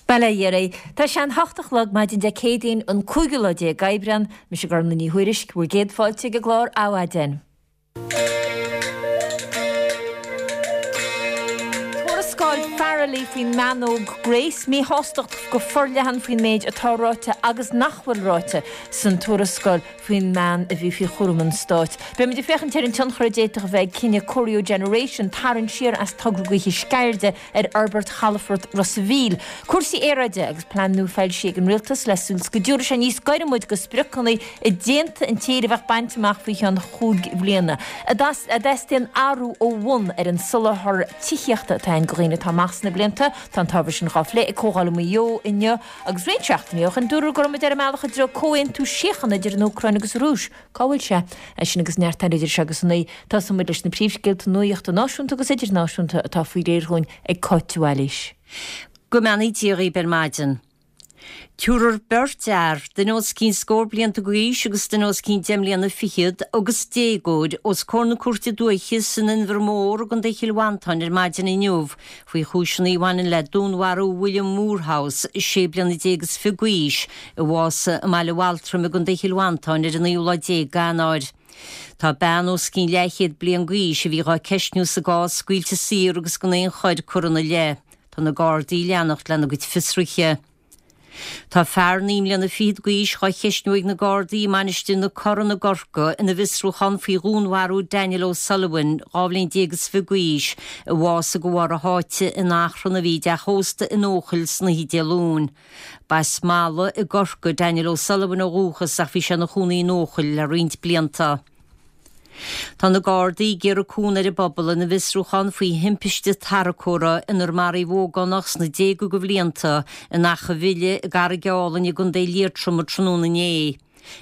Bail ó Dhia oraibh. Tá sé an hocht a chlog maidin Dé Céadaoin an cúigiú lá déag Aibreán. Mise Gormlaith Ní Thuairisg, bhur gcéad fáilte ag an gclár Adhmhaidin. Tuarascáil Farrelly faoin mbean óg Grace, míshástacht go forleathan faoin méid atá ráite agus nach bhfuil ráite san tuarascáil faoin mbean a bhí faoi chúram an stáit. Beimid ag féachaint ar an tionchar a d'fhéadfadh a bheith ag cinneadh Corio Generation tarraingt siar as togra gaoithe Sceirde ar fhorbairt chalafort Ros a' Mhíl, cúrsaí aeráide agus plean nua foilsithe ag an Rialtas le súil 's go dtabharfaidh sé níos gaire muid go spriocanna i dteannta an tír a bheadh bainte amach faoi cheann chúig bhliana. An dteastaíonn athrú ó bhun ar an soláthar tithíochta atá ann go dhaoine atá amach sna blianta. Tá an t-ábhar sin dhá phlé ag Comhdháil i Maigh Eo inniu agus roinnt seachtainí ó shin dúradh go raibh muid ar an mbealach i dtreo comhaontú síochána idir an Úcráin agus an Rúis. Cá bhfuil sé? É sin agus neart eile idir seo agus a naoi. Tosóidh muid leis na príomhscéalta nuachta náisiúnta agus idirnáisiúnta atá faoi réir dhúinn ag Cáit de Bhailís. Go mbeannaí Dia dhaoib ar maidin. Tabharfar beirt fhear, duine os cionn scór blianta d'aois agus duine os cionn deich mbliana fichead, agus déagóir, os comhair na Cúirte Dúiche san Inbhear Mór i gContae Chill Mhantáin ar maidin inniu faoi chúiseanna a bhaineann le dúnmharú William Moorhouse, sé bliana déag is fiche d'aois, a bhásaigh i mBaile Bhaltraim i gContae Chill Mhantáin ar an naoú lá déag d'Eanáir. Tá bean os cionn leathchéad bliain d'aois a bhí dhá ceistniú sa gcás scaoilte saor agus gan aon choir curtha ina leith. Tá na Gardaí ag leanacht lena gcuid fiosruithe. Tá fear naoi mbliana fichead d'aois dhá cheistniú ag na Gardaí i Mainistir na Corann i gCorcaigh ina bhfiosrúchán faoi dhúnmharú Daniel O'Sullivan, 12 bhliain is fiche d'aois, a bhásaigh de bharr a sháite in achrann a bhí i dteach ósta in Eochaill san oíche Dé Luain. B'as Mala i gCorcaigh Daniel O'Sullivan ó dhúchas ach bhí sé ina chónaí in Eochaill le roinnt blianta. Tá na Gardaí ag iarraidh cúnamh ar an bpobal ina bhfiosrúchán faoi thimpiste tarracóra inar maraíodh ógánach sna déaga de bhlianta in Achadh Bhile i gCarraig Álainn i gContae Liatroma tráthnóna inné.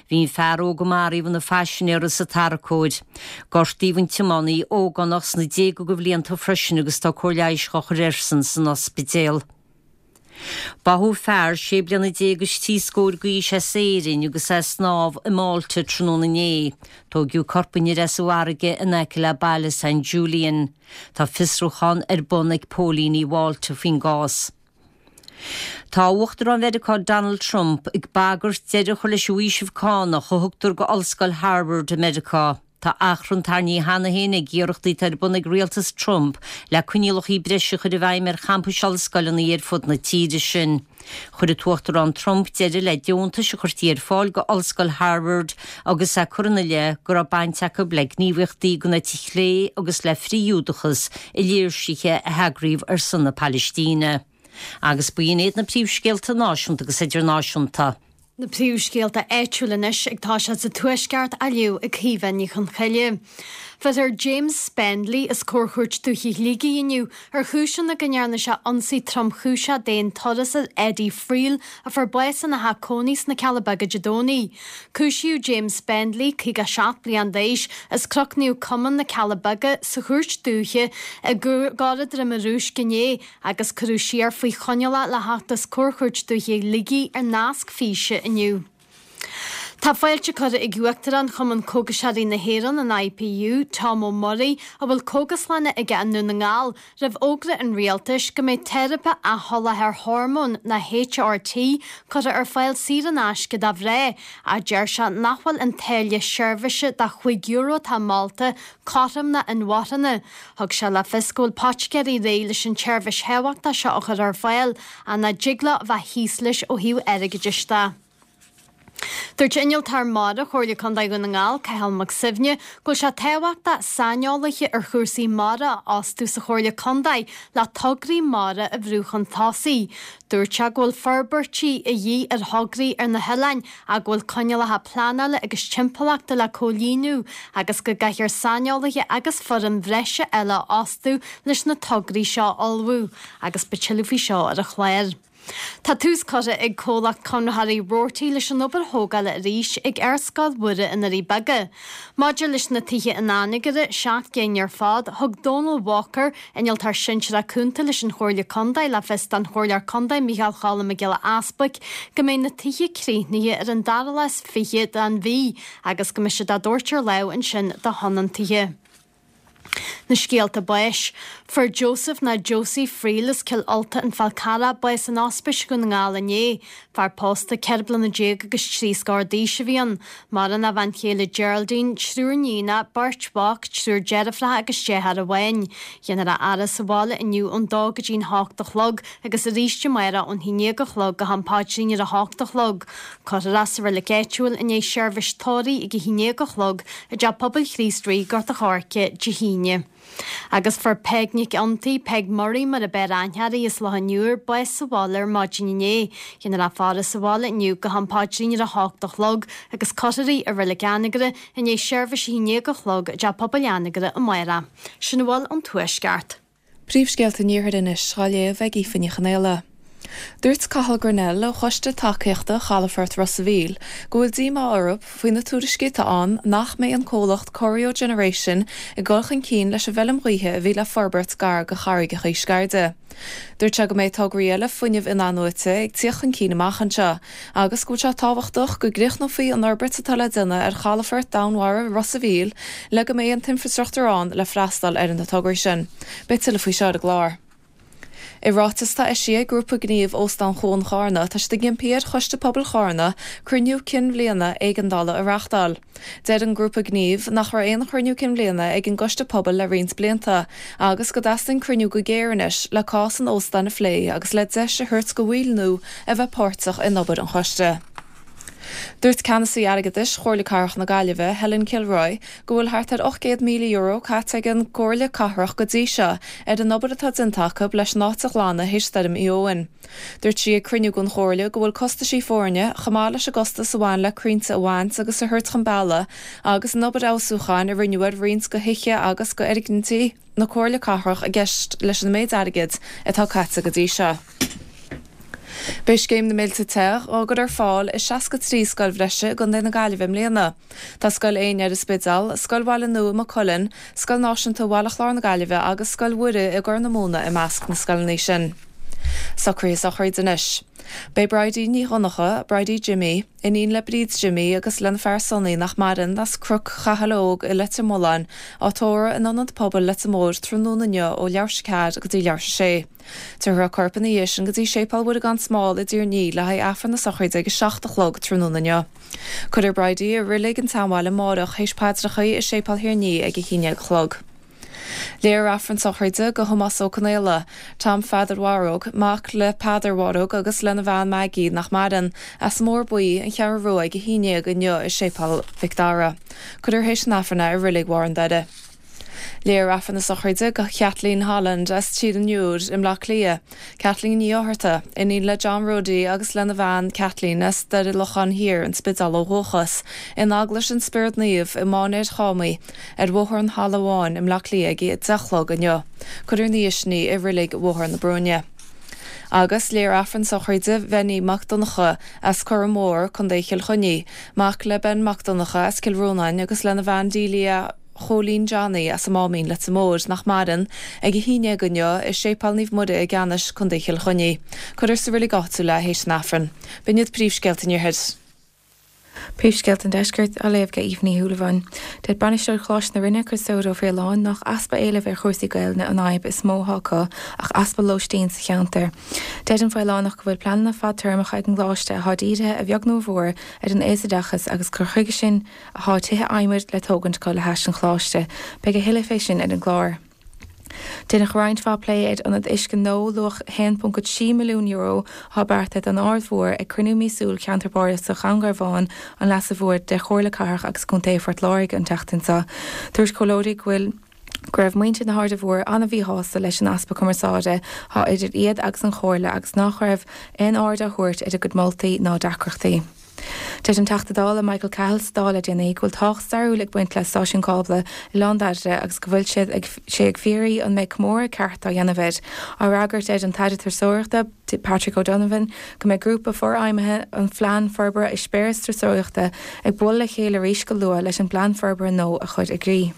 Bhí an fear óg a maraíodh ina phaisinéara sa tarracóir. Gortaíodh an tiománaí, ógánach sna déaga de bhlianta freisin agus tá cóir leighis dhá chur airsean san ospidéal. Báthadh fear sé bliana déag is trí scóir d'aois as Éirinn agus é ag snámh i Malta tráthnóna inné. Tóigeadh corp an fhir as an bhfarraige in aice le baile San Julian. Tá fiosrúchán ar bun ag póilíní Mhálta faoin gcás. Tá Uachtarán Mheiriceá Donald Trump ag bagairt deireadh a chur leis an bhfaoiseamh cánach a thugtar go Ollscoil Harvard i Meiriceá. Tá achrann tarraingthe cheana féin ag iarrachtaí atá ar bun ag rialtas Trump le coinníollacha breise a chur i bhfeidhm ar champais ollscoileanna ar fud na tíre sin. Chuir an tUachtarán Trump deireadh le deontais a chuirtí ar fáil go Ollscoil Harvard agus é ag cur ina leith go raibh baint acu le gníomhaíochtaí den eite chlé agus le frith-Ghiúdachas i léirsithe a heagraíodh ar son na Palaistíne. Agus b'in iad na príomhscéalta náisiúnta agus idirnáisiúnta. Na príomhscéalta áitiúla anois ag toiseacht sa Tuaisceart á léamh ag Caoimhe Ní Chonchoille. Bheirfear James Spendley os comhair Chúirt Dúiche Shligigh inniu ar chúiseanna go ndearna sé ionsaí tromchúiseach d'aon turas ar Eddie Friel a fuair bás ina theach cónaí sna Cealla Beaga Dé Domhnaigh. Cúisíodh James Spendley, 57 bliain d'aois, as Cnoc Naomh Comáin, na Cealla Beaga, sa Chúirt Dúiche i gCora Droim an Rúisc inné agus cuireadh siar faoi choinneáil é le theacht os comhair Chúirt Dúiche Shligigh ar nasc físe inniu. Tá fáilte curtha ag Uachtarán Chumann Cógaiseoirí na hÉireann, an IPU, Tom Ó Muirí, a bhfuil cógaslanna aige i nDún na nGall, roimh fhógra an Rialtais go mbeidh teiripe athsholáthair hormón, nó HRT, curtha ar fáil saor in aisce do mhná, ach deir sé nach bhfuil an táille seirbhíse de €5 atá molta cothrom ná inmharthana. Thug sé le fios go bhfuil poiticéirí réidh leis an tseirbhís thábhachtach seo a chur ar fáil ach nach dtig leo a bheith thíos leis ó thaobh airgeadais de. Dúirt Innealtóir Mara Chomhairle Contae Dhún na nGall, Cathal Mac Suibhne, go bhfuil sé tábhachtach saineolaithe ar chúrsaí mara a fhostú sa Chomhairle Contae le tograí mara a bhrú chun tosaigh. Dúirt sé go bhfuil forbairtí a dhíth ar thograí ar na hoileáin ach go bhfuil coinníollacha pleanála agus timpeallachta le comhlíonadh agus go gcaithfear saineolaithe agus foireann bhreise eile a fhostú leis na tograí seo a ullmhú agus beidh tuilleadh faoi seo ar an chlár. Tá tús curtha ag comhlacht conraitheoirí Roarty leis an obair thógála arís ag Ar Scoil Mhuire i nDoirí Beaga. Maidir leis na tithe in Anagaire, 7 gcinn ar fad, thug Dónal Walker, Innealtóir Sinsearach Cúnta leis an Chomhairle Contae le fios don Chomhairleoir Contae Micheál Cholm Mac Giolla Easbuic go mbeidh na tithe críochnaithe ar an dara lá is 20 den mhí agus go mbeidh siad á dtabhairt ar láimh ansin do thionóntaithe. Na scéalta báis. Fuair Joseph nó Josie Friel as Cill Ulta an Fál Carrach bás in Ospís Dhún na nGall inné. Fear pósta 14 bliana agus trí scór d'aois a bhí ann. Maireann a bhean chéile Geraldine, triúr níonacha, beirt mhac, triúr deirfiúracha agus deartháir amháin. Déanfar a fhaire sa bhaile inniu ón dó go dtí'n hocht a chlog agus arís amárach ón haon déag a chlog go ham paidrín ar a hocht a chlog. Cuirfear é sa reilig áitiúil i ndiaidh seirbhís tórraimh ag a haon déag a chlog i dTeach Pobail Chríost Rí, Gort a' Choirce, Dé hAoine. Agus fuair Peig Nic Fhionntaigh, Peig Murray mar ab fhearr aithne uirthi, as Loch an Iúir, bás sa bhaile ar maidin inné. Déanfar a faire sa bhaile inniu go ham paidrín ar a hocht a chlog agus cuirfear í i Reilig Anagaire i ndiaidh seirbhís a haon déag a chlog i dTeach Pobail Anagaire amárach. Sin a bhfuil ón Tuaisceart. Príomhscéalta an Iarthair anois á léamh ag Aoife Ní Chonaola. Dúirt Cathal Grennell ó Choiste Tacaíochta Chalafort Ros a' Mhíl go bhfuil díomá orthu faoi na tuairiscí atá ann nach mbeidh an comhlacht Corio Generation ag dul chun cinn leis an bhfeilm ghaoithe a bhí le forbairt gar do Charraigeacha Sceirde. Dúirt sé go mbeidh tograí eile fuinnimh in-athnuaite ag tíocht chun cinn amach anseo agus go bhfuil sé tábhachtach go gcríochnófaí an fhorbairt atá le déanamh ar chalafort domhainmhara Ros a' Mhíl le go mbeidh an t-infreastruchtúr ann le freastal ar na tograí sin. Beidh tuilleadh faoi seo ar an gclár. I ráiteas atá eisithe ag Grúpa Gnímh Óstán Chuan Chárna tá siad ag impí ar Choiste Pobail Chárna cruinniú cinn bhliana éigeandála a reáchtáil. Deir an Grúpa Gnímh nach raibh aon chruinniú cinn bhliana ag an gcoiste pobail le roinnt blianta agus go dteastaíonn cruinniú go géar anois le cás an óstáin a phlé agus le deis a thabhairt go bhaill nua a bheith páirteach in obair an choiste. Dúirt Ceannasaí Airgeadais Chomhairle Cathrach na Gaillimhe, Helen Kilroy, go bhfuil thart ar €800,000 caite ag an gComhairle Cathrach go dtí seo ar an obair atá déanta acu leis an áit a ghlanadh théis Stoirm Éowyn. Dúirt sí ag cruinniú den Chomhairle go bhfuil costaisí foirne, chomh maith leis an gcostas a bhain le crainnte a bhaint agus a thabhairt chun bealaigh agus an obair fheabhsúcháin a rinneadh ar roinnt de thithe agus de fhoirgnití na Comhairle Cathrach i gceist leis an méid airgid atá caite go dtí seo. Beidh Scéim na Mílte Te á gcur ar fáil i 63 scoil bhreise i gContae na Gaillimhe i mbliana. Tá Scoil Éinne ar an Spidéal, Scoil Bhaile Nua i Maigh Cuilinn, Scoil Náisiúnta Bhaile Chláir na Gaillimhe agus Scoil Mhuire i gCorr na Móna i measc na scoileanna sin. Socruithe sochraide anois. Beidh Bridie Ní Dhonncha, Bridie Jimmy, iníon le Bríd Jimmy agus lena fear Sonny nach maireann, as Cnoc Chathail Óg i Leitir Mealláin, á tórramh in Ionad Pobail Leitir Móir tráthnóna inniu ó leathuair tar éis a ceathair go dtí leathuair tar éis a sé. Tabharfar a corp ina dhiaidh sin go dtí Séipéal Mhuire gan Smál i dTír an Fhia le haghaidh Aifreann na sochraide ag 7 a chlog tráthnóna inniu. Cuirfear Bridie i Reilig an tSeanbhaile amárach théis paidreacha i Séipéal Thír an Fhia ag 11 a chlog. Léifear Aifreann sochraide do Thomás Ó Conaola, Tom Pheadair Mharóg, mac le Peadar Mharóg agus lena bhean Maggie nach maireann, as an mBóthar Buí, An Cheathrú Rua ag 11 inniu i Séipéal Mhic Dara. Cuirfear théis an Aifrinn é i Reilig Bharr an Doire. Léifear Aifreann na sochraide do Kathleen Holland as Tír an Iúir i mBleá Cliath, Kathleen Ní Fhátharta, iníon le John Roddy agus lena bhean Kathleen as Doire Locháin Thiar, An Spidéal ó dhúchas, in Eaglais an Spioraid Naoimh i Mainéar Chámaí ar Bhóthar an Halla Bháin i mBleá Cliath ag 10 a chlog inniu. Cuirfear ina dhiaidh sin í i Reilig Bhóthar na Brúinne. Agus léifear Aifreann sochraide Bhenny Mac Donncha as Corra Mór, Co. Chill Chainnigh, mac le Ben Mac Donncha as Cill Rónáin agus lena bhean Delia, Chóilín Johnny as an Máimín, Leitir Móir, nach maireann, ag 11 inniu i Séipéal Naomh Muire i gCeannais, Co. Chill Chainnigh. Cuirfear sa reilig áitiúil é théis an Aifrinn. B'in iad príomhscéalta an Iarthair. Príomhscéalta an Deiscirt á léamh ag Aoife Ní Shúilleabháin. Deir Bainisteoir Choláiste na Rinne, Criostóir Ó Faoláin, nach easpa éilimh ar chúrsaí Gaelainne an fhadhb is mó atá acu ach easpa lóistín sa cheantar. Deir an Faolánach go bhfuil pleananna fadtéarmacha ag an gcoláiste atá dírithe a bheag nó a mhór ar an aosoideachas agus gur chuige sin atá tithe adhmaid le tógaint acu le hais an Choláiste. Beidh a thuilleadh fé sin ar an gclár. Deineadh roinnt mhaith plé ar ionad uisce nua luach €1.3 milliún atá beartaithe don Aird Mhór ag cruinniú míosúil Cheantar Bardasach Dhún Garbhán an Leasa Mhóir de Chomhairle Cathrach agus Contae Phort Láirge an tseachtain seo. Dúirt comhairleoirí go bhfuil go raibh muintir na hAirde Mhóire an-mhíshásta leis an easpa cumarsáide atá idir iad agus an Chomhairle agus nach raibh aon aird á thabhairt ar a gcuid moltaí ná deacrachtaí. Deir an Teachta Dála Michael Cahill sa Dáil le déanaí go bhfuil tábhacht stairiúil ag baint le stáisiún cábla Oileán Dairbhre agus go bhfuil siad ag sé ag fiafraí an mbeidh comóradh ceart á dhéanamh air. Á fhreagairt deir an tAire Turasóireachta, Patrick O'Donovan go mbeidh grúpa forfheidhmithe an Phlean Forbartha Eispéireas Turasóireachta ag bualadh le chéile arís go luath leis an bplean forbartha nua a chur i gcrích.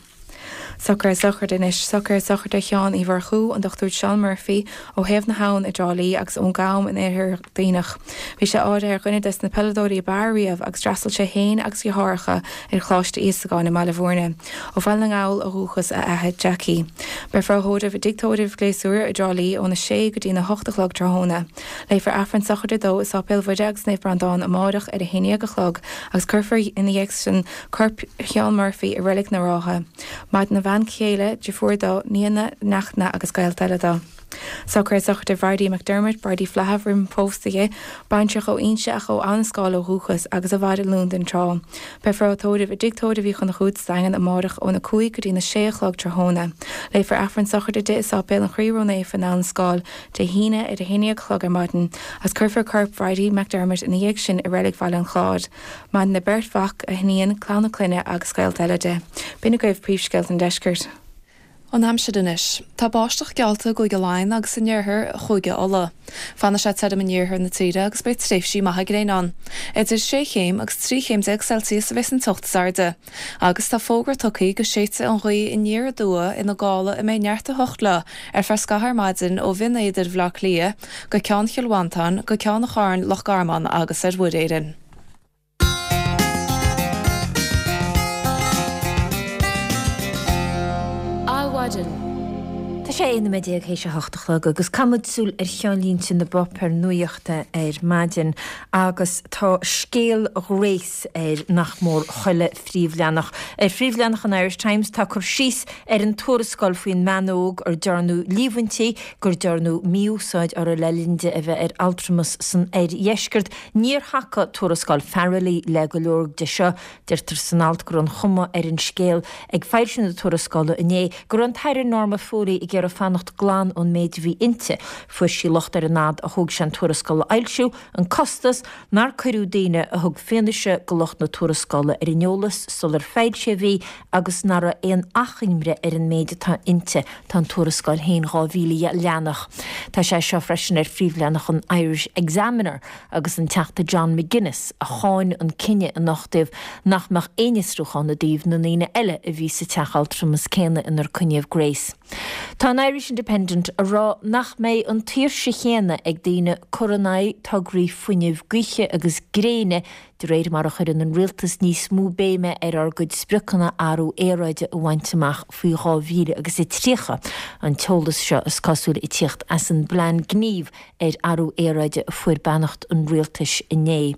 Socruithe sochraide anois. Socruithe sochraide Sheáin Uí Mhurchú, an Dr Seán Murphy, ó Thaobh na hAbhann i dTrá Lí agus ón gCam in oirthear Dhuibhneach. Bhí sé áirithe ar dhuine des na peileadóirí ab fhearr riamh agus d'fhreastail sé féin agus a dheartháireacha ar Choláiste Íosagáin i mBaile Bhúirne. Ó Bhaile na nGall ó dhúchas a athair Jackie. Beifear á thórramh i dTigh Tórraimh Ghléasúra i dTrá Lí óna sé go dtína hocht a chlog tráthnóna. Léifear Aifreann sochraide dó i Sáipéal Mhuire agus Naomh Breandán amáireach ar a haon dhéag a chlog agus cuirfear ina dhiaidh sin corp Sheáin Murphy i Reilig na Rátha. Maireann a bhean chéile, deirfiúr dó, nianna, neachtanna agus gaolta eile dó. Socruithe sochraide Bhridie McDermott, Bridie Flaithimh roimh an phósadh di, baintreach ó Inse ach ó Abhainn an Scáil ó dhúchas agus i bhfad i Londain tráth. Beifear á tórramh i dTigh Tórraimh Uí Chonchúir sa Daingean amárach óna 5 go dtína 6 a chlog tráthnóna. Léifear Aifreann sochraide di i Sáipéal an Chroí Ró-Naofa in Abhainn an Scáil Dé hAoine ar a haon déag a chlog ar maidin agus cuirfear corp Bhridie McDermott ina dhiaidh sin i Reilig Bhaile an Chláir. Maireann a beirt mhac, a hiníon, clann a clainne agus gaolta eile di. B'in agaibh príomhscéalta an deiscirt. An aimsir anois. Tá báisteach geallta i gCúige Laighean agus in iarthar Chúige Uladh. Fanfaidh sé tirim in iarthar na tíre agus beidh tréimhsí maithe gréine ann. Idir sé chéim agus 13 chéim Celsius a bheas an teocht is airde. Agus tá fógra tugtha go séidfidh an ghaoth aniar aduaidh ina gála a mbeidh neart 8 leo ar feadh scaithimh ar maidin ó Bhinn Éadair Bhaile Átha Cliath go Ceann Chill Mhantáin go Ceann an Chairn Loch Garman agus ar Mhuir Éireann. Adhmhaidin. Tá sé 11 nóiméad théis a hocht a chlog agus caithfidh muid súil ar cheannlínte na bpáipéar nuachta ar maidin agus tá scéal Ghrace ar nach mór chuile phríomhleathanach. Ar phríomhleathanach an Irish Times tá cur síos ar an tuarascáil faoin mbean óg ar dearnadh líomhaintí gur dearnadh mí-úsáid uirthi le linn di a bheith ar altramas san oirdheisceart. Níor thacaigh tuarascáil Farrelly le go leor de seo. Deirtear san alt go raibh an chuma ar an scéal ag foilsiú na tuarascála inné go raibh an tAire Norma Foley ag iarraidh fanacht glan ón méid a bhí inti. Fuair sí locht ar an fhad a thóg sé an tuarascáil a fhoilsiú, an costas, nár cuireadh daoine a thug fianaise do lucht na tuarascála ar an eolas sular foilsíodh í agus nach raibh aon achoimre ar an méid atá inti. Tá an tuarascáil féin 2,000 leathanach. Tá sé seo freisin ar phríomhleathanach an Irish Examiner agus an Teachta John McGuinness a cháin an cinneadh anocht nach mbeadh aon fhiosrúchán i dtaobh na ndaoine eile a bhí sa teach altramas céanna inar coinníodh Grace. Tá an Irish Independent a rá nach mbeidh an tsaoirse chéanna ag daoine cur in aghaidh tograí fuinnimh gaoithe agus gréine De réir mar a chuireann an rialtas níos mó béime ar ár gcuid spriocanna athrú aeráide a bhaint amach faoi 2030, an t-eolas seo is cosúil ag tíocht as an bplean gnímh ar athrú aeráide a fuair beannacht an rialtais inné.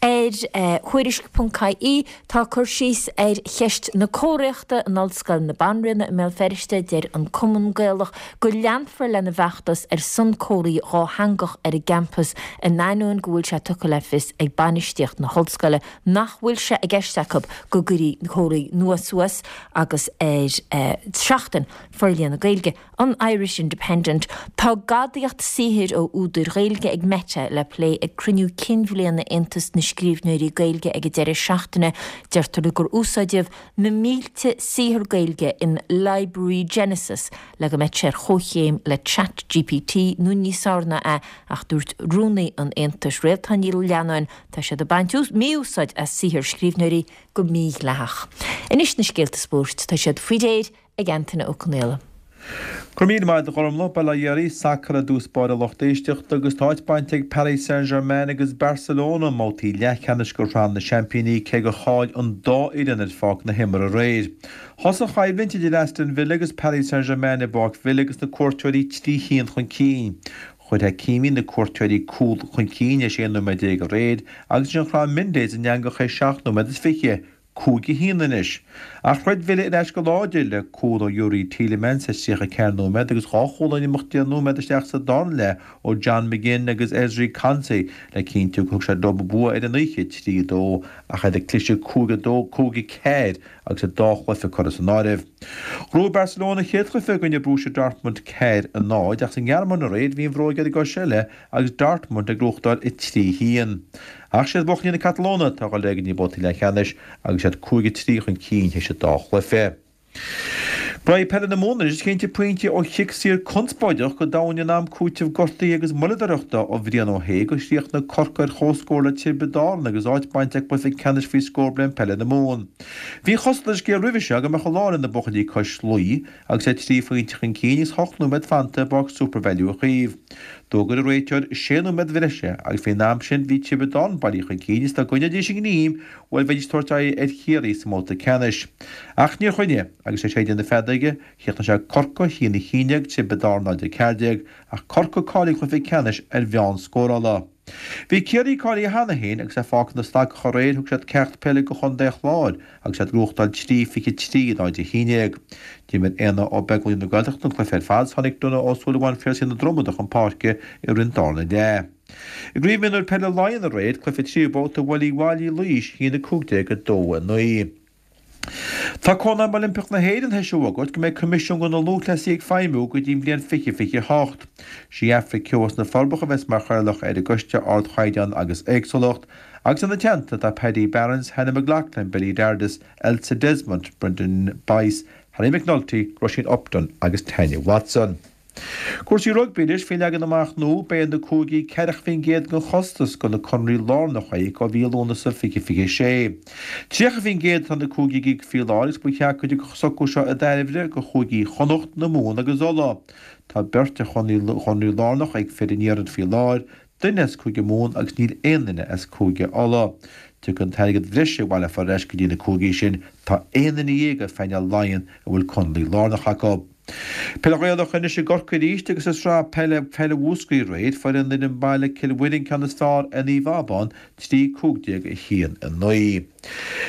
Ar Tuairisc.ie tá cur síos ar cheist na comharthaíochta in Ollscoil na Banríona i mBéal Feirste. Deir an Cumann Gaelach go leanfar lena bhfeachtas ar son comharthaí dhátheangach ar an gcampas in ainneoin go bhfuil sé tugtha le fios ag bainistíocht na hollscoile nach bhfuil sé i gceist acu go gcuirfí comharthaí nua suas agus ar Seachtain Forlíonadh Gaeilge an Irish Independent tá gadaíocht saothair ó údair Ghaeilge ag Meta le plé ag cruinniú cinn bhliana Aontas na Scríbhneoirí Gaeilge ag an deireadh seachtaine. Deirtear gur úsáideadh na mílte saothar Gaeilge in Library Genesis le go mbeadh sé ar chomhchéim le Chat GPT nó níos fearr ná é ach dúirt rúnaí an Aontais, Réaltán Ní Leannáin, tá siad ag baint mí-úsáid as saothar scríbhneoirí go mídhleathach. Anois na scéalta spóirt, tá siad faoi réir ag Antaine Ó Conaola. Go raibh míle maith agat a Ghormlaith, Bail ó Dhia oraibh, sacar i dtús báire a lucht éisteachta agus tá áit bainte ag Paris Saint-Germain agus Barcelona i mbabhtaí leathcheannais de Shraith na Seaimpíní cé gur chaill an dá fhoireann ar pháirc na himeartha aréir. Thosaigh an choimhlint idir Aston Villa agus Paris Saint-Germain i bPáirc Villa agus na cuairteoirí 3 haon chun cinn. Chuir Hakimi na cuairteoirí cúl chun cinn théis 11 nóiméad aréir agus ansin chrom Mendes an eangach théis 7 nóiméad is 20. 5-1 anois. Ach throid Villa ar ais go láidir le cúl ó Youri Tielemans théis 34 nóiméad agus dhá chúl in imeacht 10 nóiméad isteach sa dara leath ó John McGinn agus Ezri Konsa le cinntiú gur thug siad leo an bua ar an oíche, 3-2, ach iad ag cliseadh 5-2, 5-4 agus an dá chluiche curtha san áireamh. Ghnóthaigh Barcelona a chéad chluiche i gcoinne Borussia Dortmund 4-0 ach sa nGearmáin aréir bhí an bhróig ar an gcois eile agus Dortmund ag gnóthachtáil 3-1. Ach siad buachaillí na Catalóine atá ag dul ar aghaidh go dtí na babhtaí leathcheannais agus iad 5-3 chun cinn théis an dá chluiche. Braitheadh Peile na Mumhan anois is cinnte pointe ó chic saor conspóideach go domhain in am cúitimh gortaithe agus moilleadóireachta ó Bhrian Ó hAodha gur chríochnaigh Corcaigh ar chomhscór le Tiobraid Árann agus áit bainte acu i gcluiche ceannais faoi scór bliain peile na Mumhan. Bhí an chosúlacht ar an scéal roimhe seo go mbeadh an lá le na buachaillí cois Laoi agus iad 3 phointe chun cinn agus 8 nóiméad fanta i bPáirc Supervalu Uí Chaoimh. D'fhógair an réiteoir 6 nóiméad bhreise agus faoin am sin bhí Tiobraid Árann bailithe chun cinn agus dá gcoinneoidís a ngreim Bhuel, bheidís ag tabhairt aghaidh ar Chiarraí sa mbabhta ceannais. Ach níor choinnigh, agus é séideadh na feadóige, chríochnaigh sé Corcaigh 1-11, Tiobraid Árann 0-14, ach Corcaigh cáilithe don chluiche ceannais ar mheán scórála. Bhí Ciarraí cáilithe cheana féin agus é fágtha ina slagach aréir thug siad ceacht peile do chontae an Chláir agus iad ag gnóthachtáil 3-23 in 0-11. D'imir Éanna Ó Beaglaoich na Gaeltachta an cluiche ar fad 's tháinig Donagh Ó Súilleabháin Phiarsaigh na Dromoda chun páirce i rith an darna leath. I gCraobh Mionúir Peile Laighean aréir, cluiche tríú babhta bhuail Uíbh Fhailí Laois 1-15 2-9. Tá Cónaidhm Oilimpeach na hÉireann théis a fhógairt go mbeidh Coimisiún do na Lúthchleasaithe ag feidhmiú go dtí an bhliain 2028. Sí Aifric Keogh as na Forbacha a bheas mar chathaoirleach ar an gCoiste Ardchaighdeán agus Éagsúlacht, agus ina teannta tá Paddy Barrons, Hannah McLaughlin, Billy Dardis, Elsa Desmond, Brendan Bice, Harry McNulty, Róisín Upton agus Tanya Watson. Cúrsaí rugbaí anois, faoin leagan amach nua, beidh ar na cúigí 40% den chostas do na conarthaí lárnacha a íoc ó mhí Lúnasa 2026. 30% atá na cúigí ag íoc faoi láthair agus ba cheart go dtiocfadh an socrú seo i dtairbhe do chúigí Chonnacht, na Mumhan agus Uladh. Tá beirt ar chonarthaí lárnach ag fir an iarthair faoi láthair, duine as Cúige Mumhan agus níl aon duine as Cúige Uladh. Tiocfaidh an t-airgead bhreise a bhaileofar ar ais go dtí na cúigí sin. Tá aon duine dhéag ar phainéal Laighean a bhfuil conarthaí lárnach acu. Peil Ghaelach anois i gCorcaigh arís agus i sraith peile peile Mhúscraí aréir, fuair an fhoireann baile Cill Mhuirín ceann is fearr ar Naomh Abán 3 15 1 9.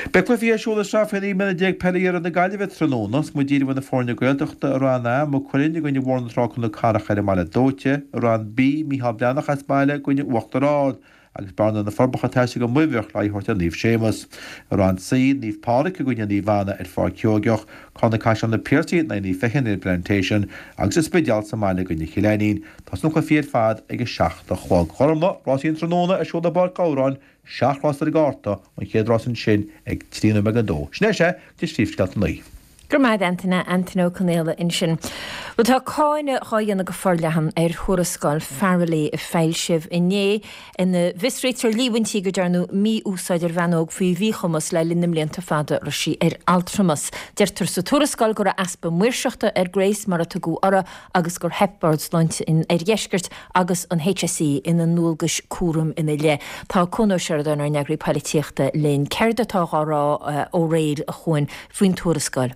Beidh cluichí ar siúl i sraith faoi 19 mbliana peile Iarthar na Gaillimhe tráthnóna. Is muid díreach na foirne Gaeltachta i Roinn A, Maigh Cuilinn i gcoinne Bhóthar na Trá Cnoc Carrach ar an mBaile Dóite, i Roinn B, Micheál Breathnach as baile i gcoinne Uachtar Ard. Agus Bearna na Forbacha ag taisteal go Muimhneach le aghaidh a thabhairt ar Naomh Séamus. I Roinn C, Naomh Pádraig i gcoinne Naomh Anna ar Pháirc Sheoigeach, Carna Caiseal Na Piarsaigh in aghaidh Naomh Feichin ar an bPlantation agus An Spidéal sa mbaile i gcoinne Chill Ainnín. Tosaíonn na cluichí ar fad ag a 7 a chlog. Gormlaith, rásaí an tráthnóna ar siúl i bPáirc Ghabhráin, seacht rás ar an gcárta, an chéad rás ansin ag 3 nóiméad go 2. Sin é sea, go dtí Príomhscéalta 9. Go raibh maith agat Antaine, Antaine Ó Conaola ansin. Bhuel tá cáineadh dhá dhéanamh go forleathan ar thuarascáil Farrelly a foilsíodh inné ina bhfiosraítear líomhaintí go ndearnadh mí-úsáid ar bhean óg faoi mhíchumas le linn na mblianta fada a raibh sí ar altramas. Deirtear sa tuarascáil go raibh easpa maoirseachta ar Grace mar a tugadh uirthi agus gur theip Bord Sláinte an Oirdheiscirt agus an HSE ina ndualgais cúraim ina leith. Tá Cuan Ó Seireadáin, ár n-eagraí poilitíochta, linn. Céard atá dhá rá ó aréir, a Chuain, faoin tuarascáil?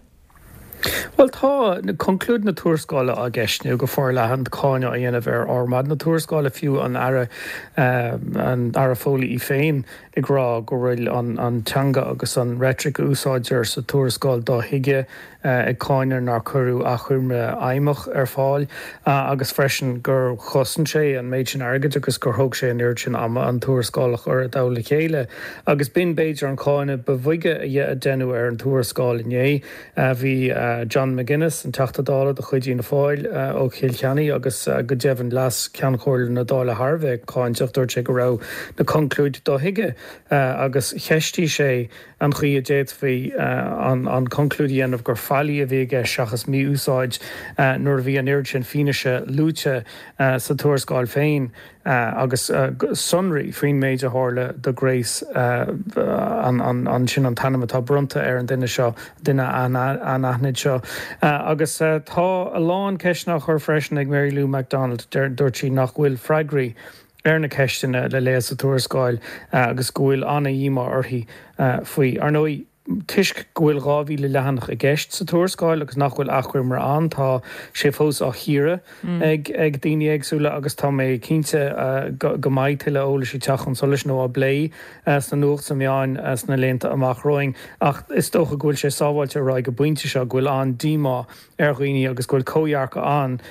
Bhuel, tá conclúid na tuarascála á gceistniú go forleathan, cáineadh á dhéanamh ar fhormáid na tuarascála, fiú an Aire, an Aire Foley í féin ag rá go bhfuil an teanga agus an reitric a úsáidtear sa tuarascáil dothuigthe. ag cáineadh nár cuireadh achoimre fheidhmeach ar fáil agus freisin gur chosain sé an méid sin airgid agus gur thóg sé an oiread sin ama an tuarascáil a chur i dtoll a chéile. Agus b'in b'fhéidir an cáineadh ba bhoige a deineadh ar an tuarascáil inné. Bhí John McGuinness, an Teachta Dála de chuid Fhianna Fáil ó Chill Chainnigh agus go deimhin Leas-Cheann Chomhairle na Dála thar a bheith cáinteach. Dúirt sé go raibh na conclúid dothuigthe agus cheistigh sé an chaoi a d'fhéadfaí an conclúid a dhéanamh gur faillí a bhí i gceist seachas mí-úsáid nuair a bhí an oiread sin fianaise luaite sa tuarascáil féin agus sonraí faoin méid a tharla do Grace, sin an t-ainm atá bronnta ar an duine seo, duine anaithnid seo. Agus tá a lán ceisteanna á chur freisin ag Mary Lou McDonald, dúirt sí nach bhfuil freagraí ar na ceisteanna le léamh sa tuarascáil agus go bhfuil an-dhíomá uirthi faoi. Ar ndóigh, toisc go bhfuil 2,000 leathanach i gceist sa tuarascáil agus nach bhfuil achoimre ann, tá sé fós á chíoradh ag daoine éagsúla agus tá mé cinnte go mbeidh tuilleadh eolais ag teacht chun solais nó á bplé sna nuacht, sna meáin sna laethanta amach romhainn. Ach is dócha go bhfuil sé sábháilte a rá ag an bpointe seo go bhfuil an-díomá ar dhaoine agus go bhfuil comhdhearcadh ann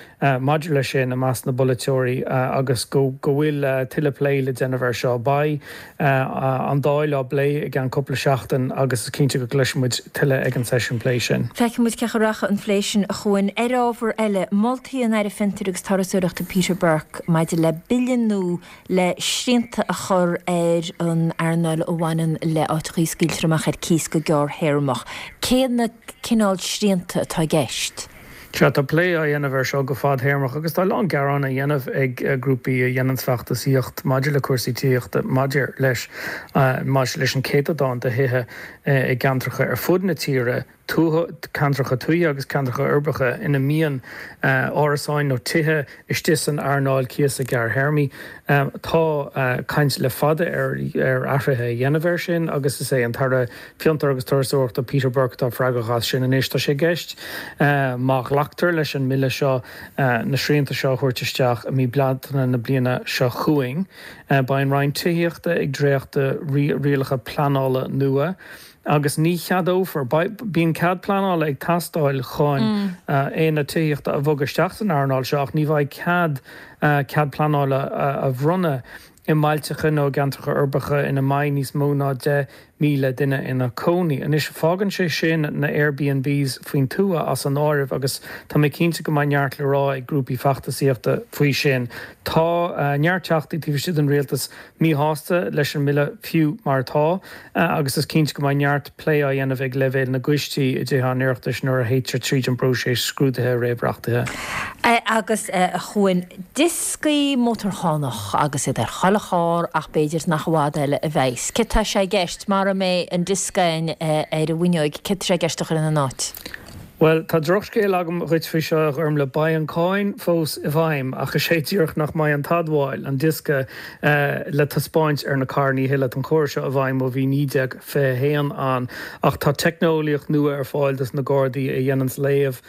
maidir leis sin i measc na bpolaiteoirí agus go bhfuil tuilleadh plé le déanamh air seo. Beidh an Dáil á bplé i gceann cúpla seachtain agus is cinnte. cinnte go gcloisfidh muid tuilleadh ag an seisiún plé sin. Feicfidh muid cén chaoi a rachaidh an phlé sin, a Chuain. Ar ábhar eile, moltaí an Aire Fiontair agus Turasóireachta Peter Burke maidir le bille nua le srianta a chur ar an earnáil a bhaineann le áiteachaí a scaoiltear amach ar cíos go gearrthéarmach. Cé na cineál srianta atá i gceist? Sea, tá plé á dhéanamh air seo go fadthéarmach agus tá a lán gearán á dhéanamh ag grúpaí a dhéananns feachtasaíocht maidir le cúrsaí tithíochta maidir leis maidir leis an céatadán de thithe i gceantracha ar fud na tíre, tuaithe, ceantracha tuaithe agus ceantracha uirbeacha ina mbíonn árasáin nó tithe istigh san earnáil cíosa gearrthéarmaí. Tá caint le fada ar athruithe a dhéanamh air sin agus is é an tAire Fiontar agus Turasóireachta Peter Burke atá freagrach as sin anois. Tá sé i gceist, má ghlactar leis an mbille seo, na srianta seo a thabhairt isteach i mí Bealtaine na bliana seo chugainn. Beidh an Roinn Tithíochta ag dréachtú rialacha pleanála nua. Agus ní cheadófar, bíonn cead pleanála ag teastáil chun aonad tithíochta a bhogadh isteach san earnáil seo ach ní bheidh cead cead pleanála a bhronnadh i mbailteacha nó i gceantracha uirbeacha ina mbeidh níos mó ná 10,000 duine ina cónaí. Anois, fágann sé sin na Airbnbs faoin tuath as an áireamh agus tá mé cinnte go mbeidh neart le rá ag grúpaí feachtasaíochta faoi sin. Tá neart teachtaí taobh istigh den rialtas míshásta leis an mbille fiú mar atá agus is cinnte go mbeidh neart plé á dhéanamh ag leibhéal na gcoistí i dTithe an Oireachtais nuair a théitear tríd an bpróiseas scrúdaithe réamhreachtaithe. Agus, a Chuain, dioscaí mótarchánach agus iad ar chuile charr ach b'fhéidir nach i bhfad eile a bheas. Céard tá sé i gceist, mara mbeidh an diosca ar an bhfuinneoig, céard tá sé i gceist a chur ina n-áit? Bhuel, tá drochscéal agam dhuit faoi seo, a Ghormlaith. Beidh an cáin fós i bhfeidhm, ach is é díreach nach mbeidh an t-admháil, an diosca, le taispeáint ar na carranna a thuilleadh. Tá an córas seo i bhfeidhm ó bhí 1921 ann, ach tá teicneolaíocht nua ar fáil dos na Gardaí a dhéananns léamh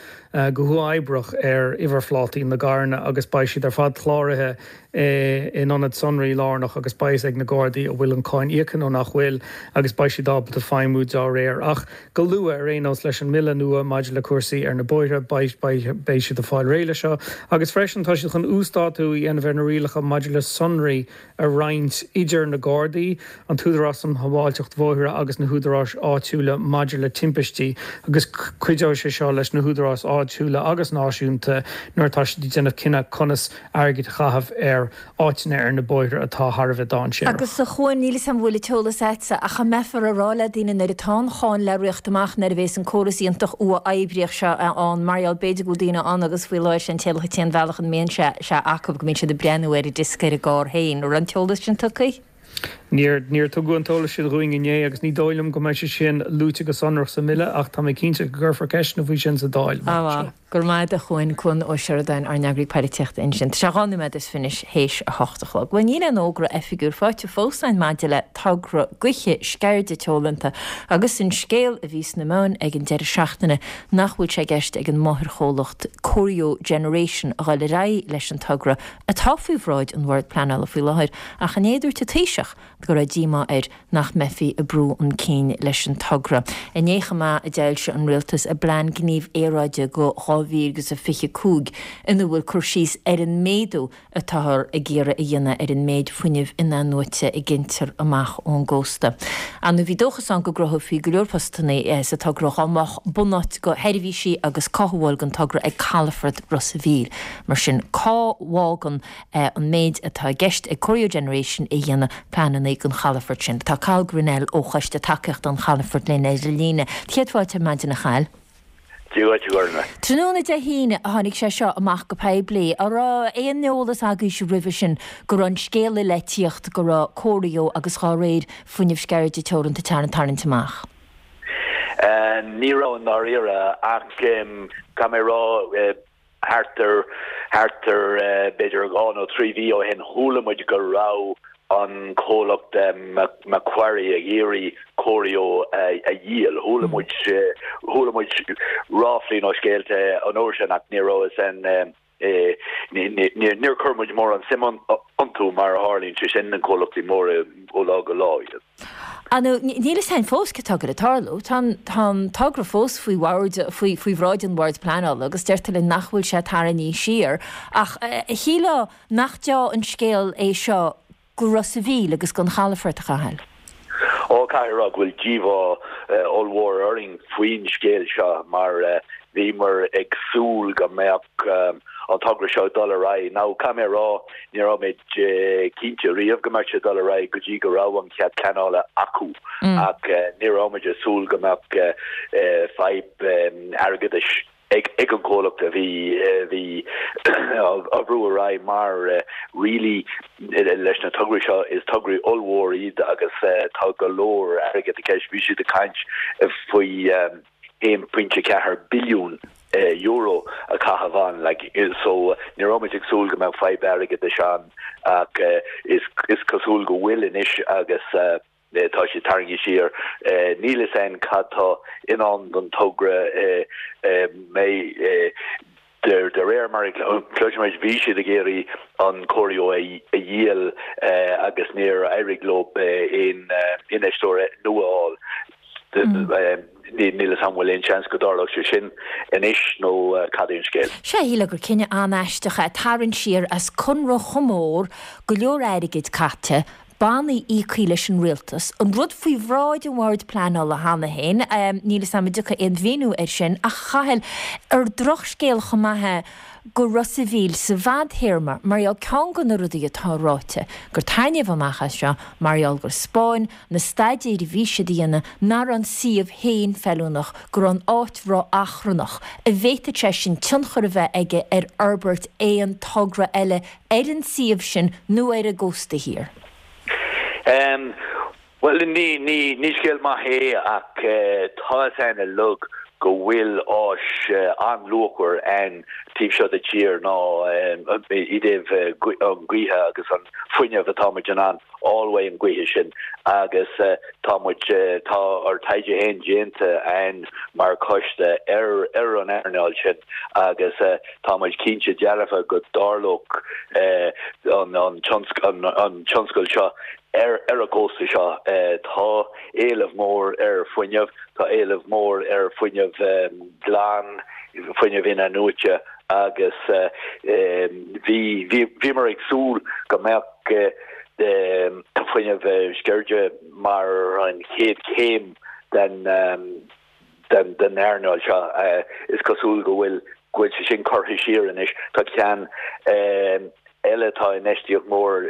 go huathoibreach ar uimhirphlátaí na gcarranna agus beidh siad ar fad cláraithe in ionad sonraí lárnach agus beidh fhios ag na Gardaí an bhfuil an cáin íoctha nó nach bhfuil agus beidh siad ábalta feidhmiú dá réir. Ach go luath, ar aon nós, leis an mbille nua maidir le cúrsaí ar na bóithre, beidh beidh siad ag fáil réidh leis seo. Agus freisin tá siad chun uasdátú a dhéanamh ar na rialacha maidir le sonraí a roinnt idir na Gardaí, an tÚdarás um Shábháilteacht Bhóithre agus na húdaráis áitiúla maidir le timpistí agus cuideoidh sé seo leis na húdaráis áitiúla agus náisiúnta nuair atá siad ag déanamh cinneadh conas airgead a chaitheamh ar áiteanna ar na bóithre atá thar a bheith dainséarach. Agus a Chuain, níl 'fhios a'm an bhfuil an t-eolas a'dsa, ach an mbeifear a rá le daoine nuair atá an cháin le riocht amach nuair a bhéas an córas iontach uathoibríoch seo ann, mar gheall b'fhéidir go bhfuil daoine ann agus faoi láthair sé an t-aon bhealach ina mbíonn sé sé acu go mbíonn siad ag breathnú ar an diosca ar an gcarr féin. An raibh an t-eolas sin tugtha? Níor, níor tugadh an t-eolas sin dhúinn inné agus ní dóigh liom go mbeidh sé sin luaite go sonrach sa mBille ach tá mé cinnte go gcuirfear ceisteanna faoi sin sa Dáil amach anseo. Go raibh maith agat a Chuain, Cuan Ó Seireadáin, ár n-eagraí poilitíochta ansin. Tá sé 2 nóiméad is fiche théis a hocht a chlog. Bhuel níl aon fhógra oifigiúil faighte fós againn maidir le togra Gaoithe Sceirde Teoranta agus an scéal a bhí sna meáin ag an deireadh seachtaine nach bhfuil sé i gceist ag an máthairchomhlacht Corio Generation a dhul ar aghaidh leis an togra atá faoi bhráid an Bhoird Pleanála faoi láthair ach inné dúirt an Taoiseach go raibh díomá air nach mbeifí ag brú chun cinn leis an togra. Inné chomh maith a d'fhoilsigh an Rialtas a bPlean Gnímh Aeráide go 2025 ina bhfuil cur síos ar an méadú atáthar ag iarraidh a dhéanamh ar an méid fuinnimh in-athnuaite a ghintear amach ón gcósta. Ar ndóigh bhí dóchas ann go gcruthófaí go leor postanna sa togra dá mbeadh bunáit do sheirbhísí agus cothabháil don togra ag calafort Ros a' Mhíl. Mar sin cá bhfágann an méid atá i gceist ag Corio Generation a dhéanamh pleananna don chalafort sin. Tá Cathal Grennell ó Choiste Tacaíochta an Chalafoirt linn ar an líne. Céad fáilte ar maidin a Chathail. Dia dhuit, a Ghormlaith. Tráthnóna Dé hAoine a tháinig sé seo amach go poiblí. An raibh aon eolas agaibhse roimhe sin go raibh an scéala le tíocht go raibh Corio agus dhá réir Fuinneamh Sceirde Teoranta tarraingt amach? Ní raibh i ndáiríre ach caithfidh mé a rá, Thart ar, thart ar b'fhéidir dhá nó trí mhí ó shin chuala muid go raibh an comhlacht Macquarie ag iarraidh Corio a dhíol. Chuala muid, chuala muid ráflaí nó scéalta an uair sin ach ní raibh fhios a'inn, níor chuir muid mórán suim iontu mar a tharlaíonn sé sin na comhlachtaí móra ó lá go lá iad. Ar ndóigh, níl fhios a'inn fós céard atá ag goil ag tarlú. Tá an, tá an togra fós faoi bhord, faoi, faoi bhráid an Bhoird Pleanála agus deirtear linn nach bhfuil sé tarraingthe siar. Ach shílfeá nach deá an scéal é seo go Ros a' Mhíl agus don chalafort, a Chathail. Ó, caithfidh a rá go bhfuil díomhá. ollmhór orainn faoin scéal seo mar bhíomar ag súil go mbeadh an togra seo ag dul ar aghaidh. Now, caithfidh mé a rá, ní raibh mé cinnte riamh go mbeadh sé ag dul ar aghaidh go dtí go raibh an cead pleanála acu ach ní raibh muid ag súil go mbeadh fadhb airgeadais ag an gcomhlacht a bhí a bhí á bhrú ar aghaidh mar really leis na tograí seo is tograí ollmhór iad agus tá go leor airgead i gceist. Bhí siad ag caint faoi €1.4 billiún a chaitheamh ann like so ní raibh muid ag súil go mbeadh fadhb airgeadais ann ach is cosúil go bhfuil anois agus tá siad tarraingthe siar. Níl fhios a'inn cad tá i ndán don togra mé de réir mar a chloisimid bhí siad ag iarraidh an cóiriú a dhíol agus níor éirigh leo aon infheisteoir nua a fháil. Níl fhios a'm an bhfuil aon seans go dtarlódh sé sin anois nó cad é an scéal. Sea, shílfeá gur cinneadh an-aisteach é tarraingt siar as conradh chomh mór, go leor airgid caite, bannaí íoctha leis an rialtas, an rud faoi bhráid an Bhoird Pleanála cheana féin, níl fhios a'm an dtiocfaidh aon mhíniú air sin, ach a Chathail, ar drochscéal chomh maith é go Ros a' Mhíl sa bhfadthéarma, mar gheall ceann de na rudaí atá ráite, gur tarraingíodh amach as seo mar gheall gur 'spáin na staidéir a bhí siad a dhéanamh nach raibh an suíomh féin feiliúnach, go raibh an áit ró-achrannach, an bhféadfadh sé sin tionchar a bheith aige ar fhorbairt aon togra eile ar an suíomh sin nó ar an gcósta thiar? Bhuel, ní scéal maith é ach tá fhios a'inn uilig go bhfuil áis an-luachmhar a'inn taobh seo de tír ná i dtaobh an gaoithe agus an fuinneamh atá muid in ann fháil uaidh an gaoithe sin agus tá muid, tá ár taighde féin déanta a'inn mar choiste ar ar an earnáil sin agus tá muid cinnte dearfa go dtarlódh an an tionscal seo ar ar an gcósta seo. Tá éileamh mór ar fuinneamh, tá éileamh mór ar fuinneamh glan, fuinneamh in-athnuaite agus bhí bhíomar ag súil go mbeadh fuinneamh sceirde mar an chéad chéim den den earnáil seo. Is cosúil go bhfuil go bhfuil sé sin curtha siar anois. Tá ceann eile, tá infheistíocht mhór,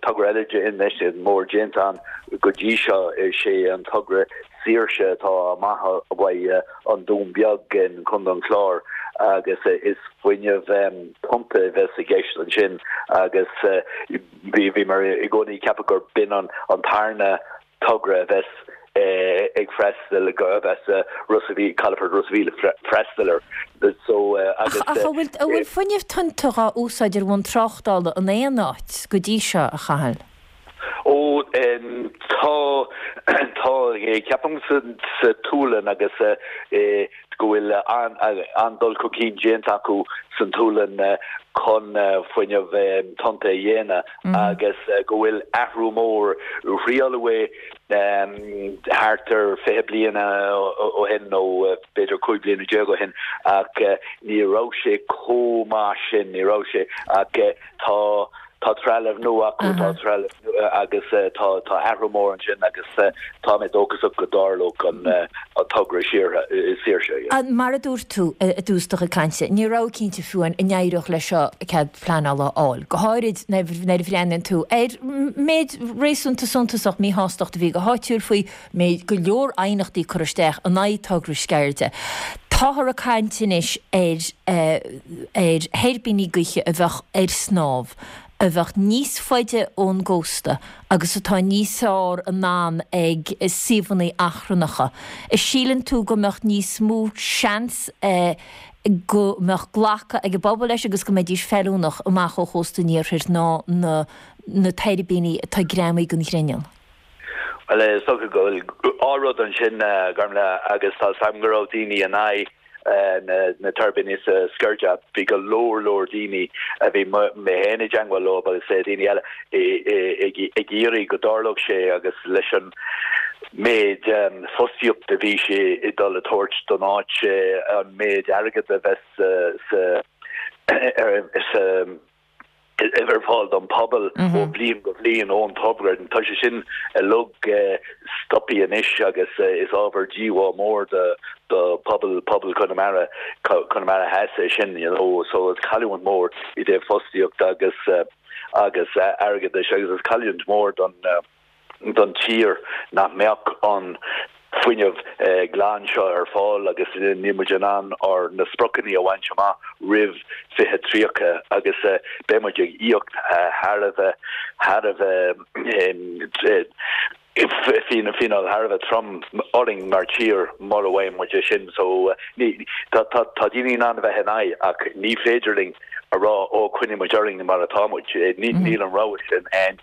togra eile infheistíocht mhór déanta ann go dtí seo, is é an togra Saoirse atá amach uaidh an Dún Beag in Contae an Chláir agus is fuinneamh tonnta a bheas i gceist ansin agus bhíomar i gcónaí ag ceapadh gur b'in an tarna togra a bheas ag freastal, a bheas Ros a' Mhíl, Calafort Ros a' Mhíl ag freastal air. So agus. Ach an bhfuil, an bhfuil fuinneamh tonnta dhá úsáid ar bhonn tráchtála in aon áit go dtí seo, a Chathail? Ó, tá, tá, ceapaim sa, sa tSualainn agus go bhfuil an-dul chun cinn déanta acu san tSualainn chun fuinneamh tonnta a dhéanamh agus go bhfuil athrú mór, thriaileadh é thart ar 20 bliain ó shin nó b'fhéidir 15 bliana ó shin ach ní raibh sé chomh maith sin, ní raibh sé ach tá Tá trealamh nua acu, tá trealamh nua agus tá tá athrú mór ansin agus tá mé dóchasach go dtarlódh an togra Saoirse. Mar a dúirt tú i dtús do chuid cainte, ní raibh cinnte fiú an n-éireodh leis seo cead pleanála a fháil, go háirid nuair a bhreathnaíonn tú ar méid réasúnta suntasach míshástacht a bhí go háitiúil faoi méid go leor aighneachtaí curtha isteach in aghaidh togra Sceirde. Táthar ag caint anois ar ar thuirbíní gaoithe a bheadh ar snámh, a bheadh níos faide ón gcósta agus atá níos fearr in ann ag suíomhanna achrannacha. An síleann tú go mbeadh níos mó seans go mbeadh glacadh ag an bpobal leis agus go mbeidís feiliúnach amach ó chósta an iarthair ná na na tuirbíní atá greamaithe den ghrinneall? Bhuel, is dócha go bhfuil dhá rud ansin, Gormlaith, agus tá 's agam go raibh daoine in aghaidh na tuirbíní sa Sceirde. Bhí go leor leor daoine a bhí mé féin i dteangmháil leo agus daoine eile ag iarraidh go dtarlódh sé agus leis an méid fostaíocht a bhí sé ag dul a tabhairt don áit, an méid airgead a bheas sa sa. Ar fáil don phobal ó bhliain go bliain ón togra. Tá sé sin uilig stoptha anois agus is ábhar díomá mór do phobal pobal Chonamara, Conamara Theas é sin, you know. So is cailliúint mór i dtaobh fostaíocht agus agus airgeadais agus is cailliúint mór don don tír nach mbeadh an fuinneamh glan seo ar fáil agus níl muid in ann ár na spriocanna a bhaint amach roimh 2030 agus beidh muid ag íoc thar a bheith thar a bheith fíneáil thar a bheith trom orainn mar tír mura bhfaigheann muid é sin so ní tá tá daoine in ann a bheith in aghaidh ach ní féidir linn a rá ó coinneoidh muid orainn mar atá muid níl an rogha sin ann.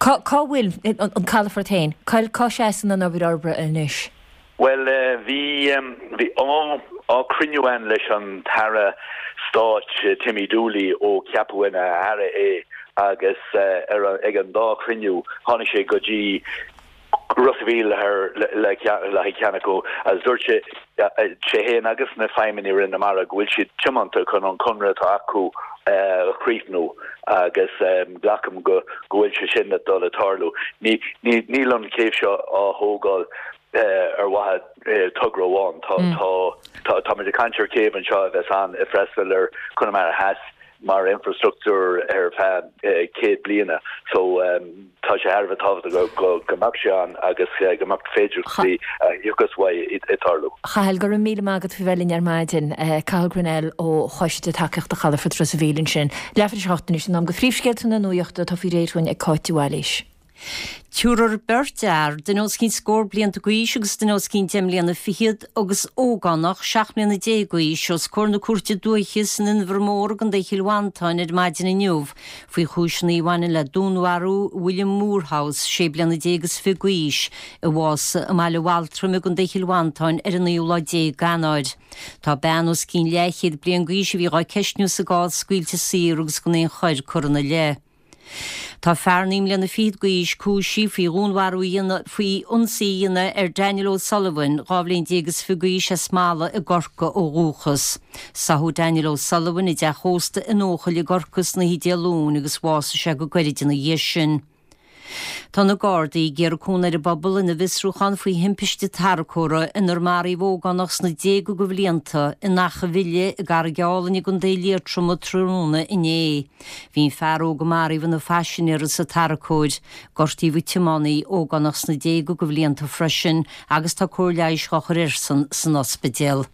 Cá bhfuil an calafort féin? Cá seasann an obair fhorbartha anois? Bhuel, bhí bhí dhá chruinniú ann leis an tAire Stáit Timmy Dooley ó ceapadh ina Aire é agus ar ag an dá chruinniú tháinig sé go dtí Ros a' Mhíl le le haghaidh ceann acu agus dúirt sé sé féin agus na feidhmeannaigh i Roinn na Mara go bhfuil siad tiomanta chun an conradh atá acu a chríochnú agus glacaim go go bhfuil sé sin ag dul a tarlú. Ní ní níl an céibh seo á thógáil ar mhaithe togra amháin. Tá tá tá táimid ag caint ar chéibh anseo a bheas ann ag freastal ar Chonamara Theas mar infrastruchtúr ar feadh 100 bliana so tá sé thar a bheith tábhachtach go mbeadh sé ann agus go mbeadh féidearthachtaí a thiocfas uaidh ag tarlú. Chathail, go raibh míle maith agat faoi bheith linn ar maidin. Cathal Grennell ó Choiste Tacaíochta Chalafort Ros a' Mhíl ansin. Leathuair tar éis a 8 anois, in am do phríomhscéalta na nuachta atá faoi réir chugainn ag Cáit de Bhailís. Tabharfar beirt fhear, duine os cionn scór blianta d'aois agus duine os cionn deich mbliana fichead, agus ógánach 17 mbliana d'aois, os comhair na Cúirte Dúiche san Inbhear Mór i gContae Chill Mhantáin ar maidin inniu faoi chúiseanna a bhaineann le dúnmharú William Moorhouse, 16 bliana is fiche d'aois, a bhásaigh i mBaile Bhaltraim i gContae Chill Mhantáin ar an naoú lá déag d'Eanáir. Tá bean os cionn leathchéad bliain d'aois a bhí dhá ceistniú sa gcás scaoilte saor agus gan aon choir curtha ina leith. Tá fear naoi mbliana fichead d'aois cúisithe faoi dhúnmharú a dhéanamh, faoi ionsaí a dhéanamh ar Daniel O'Sullivan, 12 bhliain is fiche d'aois as Mala i gCorcaigh ó dhúchas. Sáthadh Daniel O'Sullivan i dteach ósta in Eochaill i gCorcaigh san oíche Dé Luain agus bhásaigh sé go gairid ina dhiaidh sin. Tá na Gardaí ag iarraidh cúnamh ar an bpobal ina bhfiosrúchán faoi thimpiste tarracóra inar maraíodh ógánach sna déaga de bhlianta in Achadh Bhile i gCarraig Álainn i gContae Liatroma tráthnóna inné. Bhí an fear óg a maraíodh ina phaisinéir sa tarracóir. Gortaíodh an tiománaí, ógánach sna déaga de bhlianta freisin, agus tá cóir leighis dhá chur airsean san ospidéal.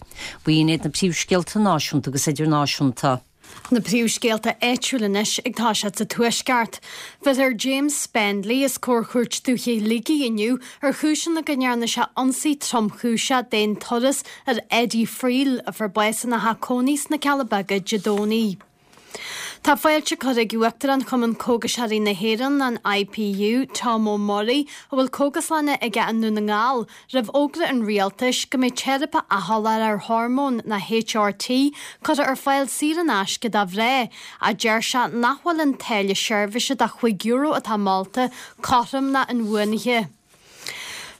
B'in iad na príomhscéalta náisiúnta agus idirnáisiúnta. Na príomhscéalta áitiúil anois ag toiseacht sa Tuaisceart. Bheifear James Spendley os comhair Chúirt Dúiche Shligigh inniu ar chúiseanna go ndearna sé ionsaí tromchúiseach d'aon turas ar Eddie Friel, a fuair bás ina theach cónaí sna Cealla Beaga Dé Domhnaigh. Tá fáilte curtha ag Uachtarán Chumann Cógaiseoirí na hÉireann, an IPU, Tom O'Murray, a bhfuil cógaslanna aige i nDún na nGall, Roimh fhógra an rialtais go mbeidh teiripe athsholáthair ar hormóin nó HRT curtha ar fáil saor in aisce do mhná, ach deir sé nach bhfuil an táille seirbhíse de €5 atá molta cothrom ná inbhuanaithe.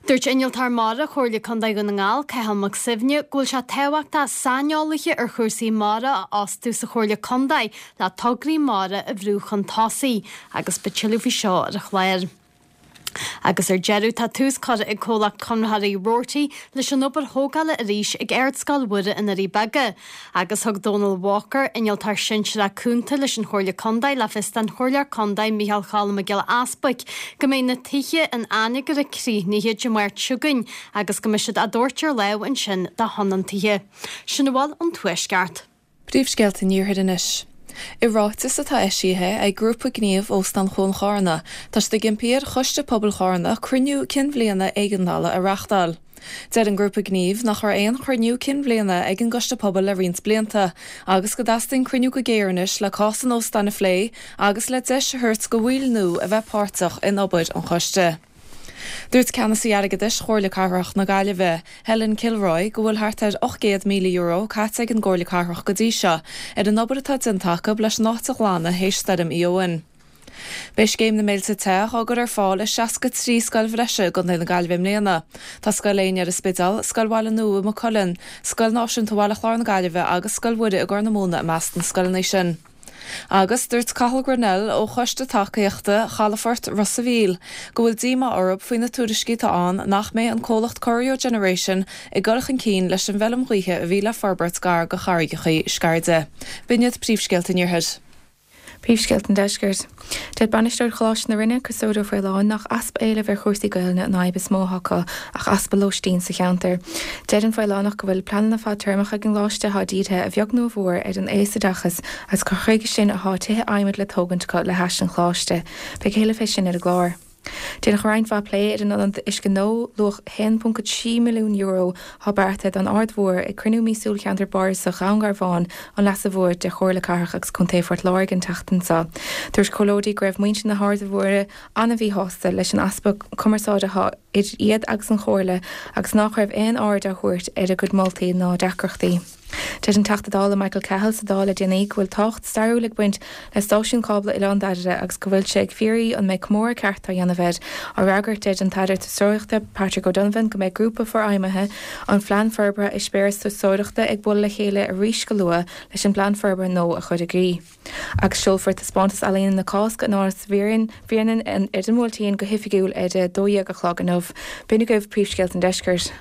Dúirt Innealtóir Mara Chomhairle Contae Dhún na nGall, Cathal Mac Suibhne, go bhfuil sé tábhachtach saineolaithe ar chúrsaí mara a fhostú sa Chomhairle Contae le tograí mara a bhrú chun tosaigh agus beidh tuilleadh faoi seo ar an chlár. Agus ar deireadh, tá tús curtha ag comhlacht conraitheoirí Roarty leis an obair thógála arís ag Ardscoil Mhuire i nDoirí Beaga. Agus thug Dónal Walker, Innealtóir Sinsearach Cúnta leis an Chomhairle Contae le fios don Chomhairleoir Contae Micheál Choilm Mac Giolla Easbuic go mbeidh na tithe in Anagaire críochnaithe Dé Máirt seo chugainn agus go mbeidh siad á dtabhairt ar lámh ansin do thionóntaithe. Sin a bhfuil ón Tuaisceart. Príomhscéalta an Iarthair anois. I ráiteas atá eisithe ag Grúpa Gnímh Óstán Chuan Chárna, tá siad ag impí ar Choiste Pobail Chárna cruinniú cinn bhliana éigeandála a reáchtáil. Deir an Grúpa Gnímh nach raibh aon chruinniú cinn bhliana ag an gCoiste Pobail le roinnt blianta agus go dteastaíonn cruinniú go géar anois le cás an óstáin a phlé agus le deis a thabhairt do bhaill nua a bheith páirteach in obair an choiste. Dúirt Ceannasaí Airgeadais Chomhairle Cathrach na Gaillimhe, Helen Kilroy, go bhfuil thart ar €800,000 caite ag an gComhairle Cathrach go dtí seo ar an obair atá déanta acu leis an áit a ghlanadh théis Stoirm Éowyn. Beidh Scéim na Méilte Te á gcur ar fáil i 63 scoil bhreise i gContae na Gaillimhe i mbliana. Tá Scoil Éinne ar an Spidéal, Scoil Bhaile Nua i Maigh Cuilinn, Scoil Náisiúnta Bhaile Chláir na Gaillimhe agus Scoil Mhuire i gCorr na Móna i measc na scoileanna sin. Agus dúirt Cathal Grennell ó Choiste Tacaíochta Chalafort Ros a' Mhíl go bhfuil díomá orthu faoi na tuairiscí atá ann nach mbeidh an comhlacht Corio Generation ag dul chun cinn leis an bhfeilm ghaoithe a bhí le forbairt gar do Charraigeachaí Sceirde. B'in iad príomhscéalta an Iarthair. Príomhscéalta an Deiscirt. Deir Bainisteoir Choláiste na Rinne, Criostóir Ó Faoláin, nach easpa éilimh ar chúrsaí Gaelainne an fhadhb is mó atá acu, ach easpa lóistín sa cheantar. Deir an Faolánach go bhfuil pleananna fadtéarmacha ag an gcoláiste atá dírithe a bheag nó a mhór ar an aosoideachas agus gur chuige sin atá tithe adhmaid le tógaint acu le hais an choláiste. Beidh a thuilleadh fé sin ar an gclár. Déanadh roinnt mhaith plé ar an ionad uisce nua, luach €1.3 milliún, atá beartaithe don Aird Mhór ag cruinniú míosúil Cheantar Bardasach Dhún Garbhán, An Leasa Mhóir de Chomhairle Cathrach agus Contae Phort Láirge an tseachtain seo. Dúirt comhairleoirí go raibh muintir na hAirde Mhóire an-mhíshásta leis an easpa cumarsáide atá idir iad agus an Chomhairle agus nach raibh aon aird á thabhairt ar a gcuid moltaí ná deacrachtaí. Deir an Teachta Dála Michael Cahill sa Dáil le déanaí go bhfuil tábhacht stairiúil ag baint le stáisiún cábla Oileán Fhadhra agus go bhfuil sé ag fiafraí an mbeidh comóradh ceart á dhéanamh air. Á fhreagairt deir an tAire Turasóireachta Patrick O'Donovan go mbeidh grúpa forfheidhmithe an Phlean Forbartha Eispéireas Turasóireachta ag bualadh le chéile arís go luath leis an bplean forbartha nua a chur i gcrích. Agus seolfar taispeántas ealaíne na Cásca in Áras Bhréanainn ar an mBuailtín go hoifigiúil ar a 12 a chlog inniu. B'in agaibh príomhscéalta an deiscirt.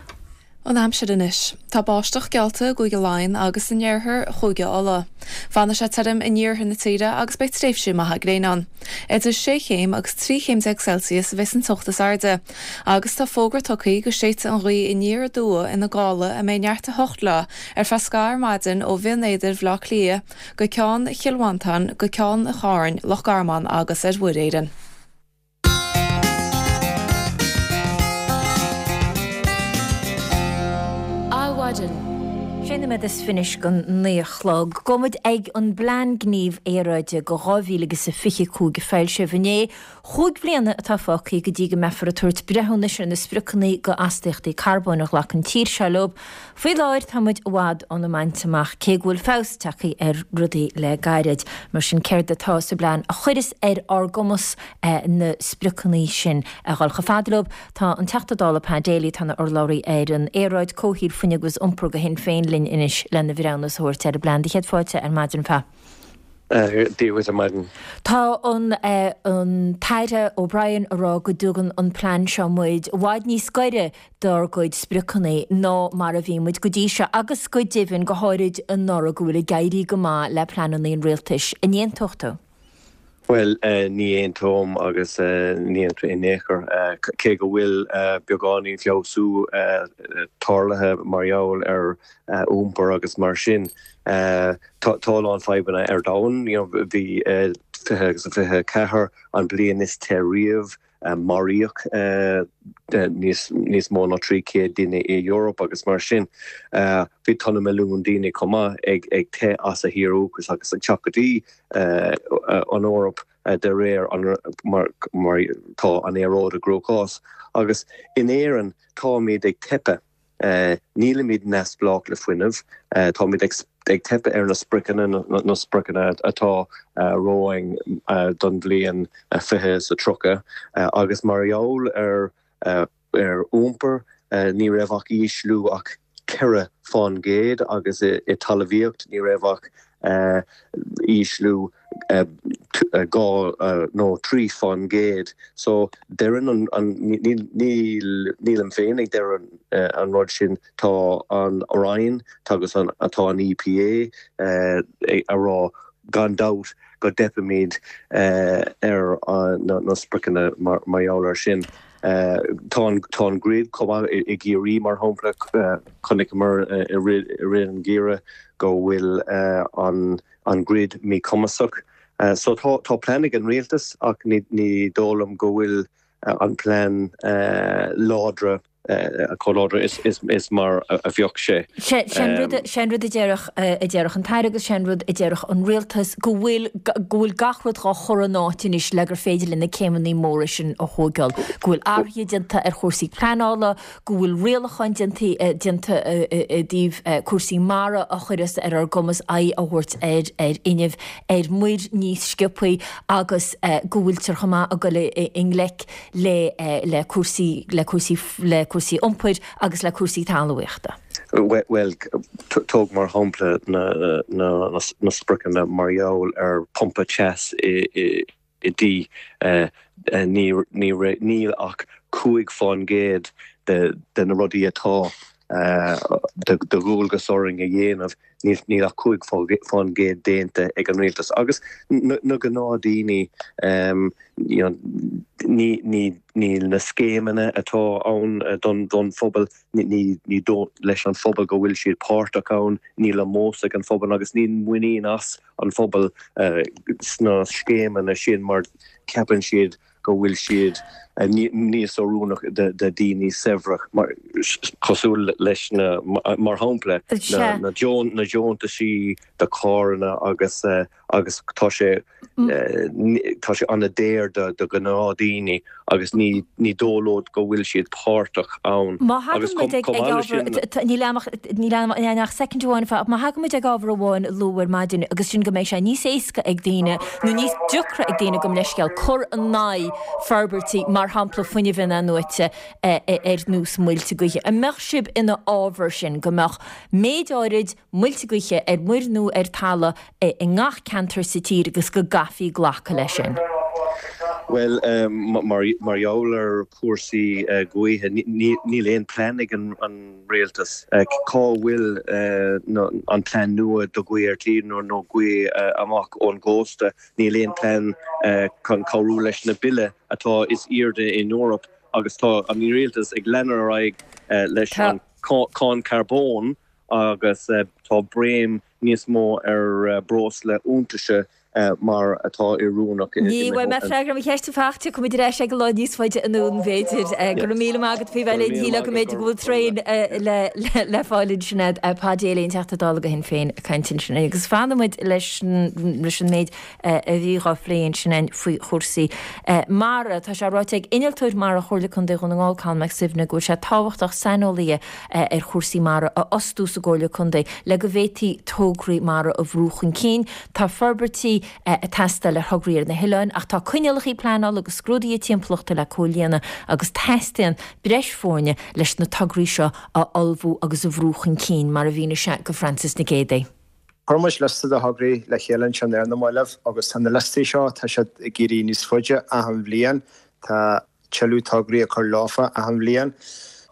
An aimsir anois. Tá báisteach geallta i gCúige Laighean agus in iarthar Chúige Uladh. Fanfaidh sé tirim in iarthar na tíre agus beidh tréimhsí maithe gréine ann. Idir sé chéim agus 13 chéim Celsius a bheas an teocht is airde. Agus tá fógra tugtha go séidfidh an ghaoth aniar aduaidh ina gála a mbeidh neart 8 léi ar feadh scaitheamh ar maidin ó Bhinn Éadair Bhaile Átha Cliath go Ceann Chill Mhantáin go Ceann an Chairn, Loch Garman agus ar Mhuir Éireann. Adhmhaidin. Sé nóiméad is fiche don 9 a chlog. Gabhfaidh muid ag an bPlean Gnímh Aeráide go 2025 a foilsíodh inné. Chúig bhliana atá fágtha go dtí go mbeifear ag tabhairt breithiúnais ar na spriocanna go astaíochtaí carbóin a ghlac an tír seo leo. Faoi láthair tá muid i bhfad óna mbaint amach, cé go bhfuil feabhas tagtha ar rudaí le gairid. Mar sin céard atá sa bplean a chuireas ar ár gcumas na spriocanna sin a dhul chomh fada leo? Tá an Teachta Dála Pat Daly, atá ina urlabhraí ar an aeráid, comhshaoil, fuinneamh agus iompar do Shinn Féin linn anois lena bhreithiúnas a thabhairt ar an bplean. Do chéad fáilte ar maidin, Pat. Dia dhuit ar maidin. Tá an an tAire O'Brien ag rá go dtugann an plean seo muid i bhfad níos gaire dár gcuid spriocanna ná mar a bhí muid go dtí seo agus go deimhin, go háirid anuraidh, go bhfuil ag éirí go maith le pleananna an rialtais. An aontódh tú? Bhuel, ní aontóim agus ní aontóim in aon chor. Cé go bhfuil beagáinín feabhsú tarlaithe mar gheall ar iompar agus mar sin, tá a lán fadhbanna ar domhan. Bhí 20 agus 24 an bliain is te riamh. Maraíodh níos mó ná 300 duine i Eoraip agus mar sin bhí tá na milliúin daoine chomh maith ag teith as a thír dhúchais agus ag teacht go dtí an Eoraip de réir mar tá an aeráid i gcruachás. Agus in Éirinn táimid ag teipeadh. Nílimid neamhspleách le fuinneamh. Táimid ag teipeadh ar na spriocanna, na spriocanna atá romhainn don bhliain 2030 agus mar gheall ar iompar ní raibh ach ísliú ach 4% agus i talmhaíocht ní raibh ach ísliú 2 nó 3%. So deireann an, nílim féin ag deireadh an rud sin, tá an Roinn agus tá an EPA ag rá gan dabht go dteipfimid ar na spriocanna mar gheall air sin. Tá an grid chomh maith i gCiarraí mar shampla, chonaiceamar i rith an gheimhridh go bhfuil an grid míchumasach. So tá plean ag an rialtas ach ní dóigh liom go bhfuil an plean láidre chomh láidir is mar a bheadh sé. Sé an rud a déarfadh an tAire agus sé an rud a déarfadh an rialtas go bhfuil go bhfuil gach rud dhá chur in áit anois le gur féidir linn na céimeanna móra sin a thógáil, go bhfuil athruithe déanta ar chúrsaí pleanála, go bhfuil rialacháin déanta déanta i dtaobh cúrsaí mara a chuireas ar ár gcumas aghaidh a thabhairt ar ar fhuinneamh ar muir níos sciobthaí agus go bhfuiltear chomh maith ag dul i ngleic le le cúrsaí le cúrsaí le cúrsaí iompair agus le cúrsaí talmhaíochta. Bhuel, tóg mar shampla na spriocanna mar gheall ar pumpa teas i dtí. Níl ach 5% de na rudaí atá de dhualgas orainn a dhéanamh, níl ach 5% déanta ag an rialtas. Agus na gnáthdaoine, níl na scéimeanna atá ann don phobal, ní dóigh leis an phobal go bhfuil siad páirteach ann, níl ómós ag an phobal agus níl muinín as an phobal sna scéimeanna sin mar ceapann siad go bhfuil siad níos oiriúnach do daoine saibhre, cosúil leis na, mar shampla, na deontaisí do carranna agus agus tá sé tá sé an-daor do ghnáthdaoine agus ní ní dóigh leo go bhfuil siad páirteach ann. Má thagann muid ag ábhar, níl a'm ach níl a'm ach soicind amháin fá, má thagann muid ag ábhar amháin a luadh ar maidin agus sin go mbeidh sé níos éasca ag daoine nó níos deacra ag daoine gabh mo leithscéal cur in aghaidh forbairtí mar shampla fuinnimh inathnuaite ar nós muilte gaoithe. An mbeadh sibh ina fhábhar sin go mbeadh méid áirid muilte gaoithe ar muir nó ar talamh i ngach ceantar sa tír agus go gcaithfí glacadh leis sin. Bhuel, mar gheall ar chúrsaí gaoithe, níl aon plean ag an rialtas. Cá bhfuil an plean nua do ghaoth ar tír nó gaoth amach ón gcósta? Níl aon plean chun cabhrú leis na bille atá is airde in Eoraip agus tá an rialtas ag leanúint ar aghaidh leis an cáin carbóin agus tá béim níos mó ar breosla iontaise mar atá oiriúnach i Ní bhfuair mé freagra ar mo cheist faighte, tiocfaidh muid ar ais air lá níos faide anonn b'fhéidir. Go raibh míle maith agat faoi bheith linn. Shílfeá go mb'fhéidir go bhfuil traein le fáil ansin a'd. Paddy Daly, an Teachta Dála do Shinn Féin ag caint ansin. Agus fanfaidh muid leis an méid a bhí dhá phlé ansin faoi chúrsaí mara. Tá sé ráite ag Innealtóir Mara Chomhairle Contae Dhún na nGall, Colm Mac Suibhne, go bhfuil sé tábhachtach saineolaithe ar chúrsaí mara a fhostú sa gComhairle Contae le go bhféadfaí tograí mara a bhrú chun cinn. Tá forbairtí ag teastáil ar thograí ar na hoileáin ach tá coinníollacha pleanála agus scrúduithe timpeallachta le comhlíonadh agus teastaíonn breis foirne leis na tograí seo a ullmhú agus a bhrú chun cinn, mar a mhínigh sé go Frances Nic Géadaigh. Chuir muid liosta de thograí le chéile ansin ar na mallaibh agus tá na liostaí seo, tá siad ag éirí níos faide achan bhliain. Tá tuilleadh tograí ag cur leofa achan bhliain.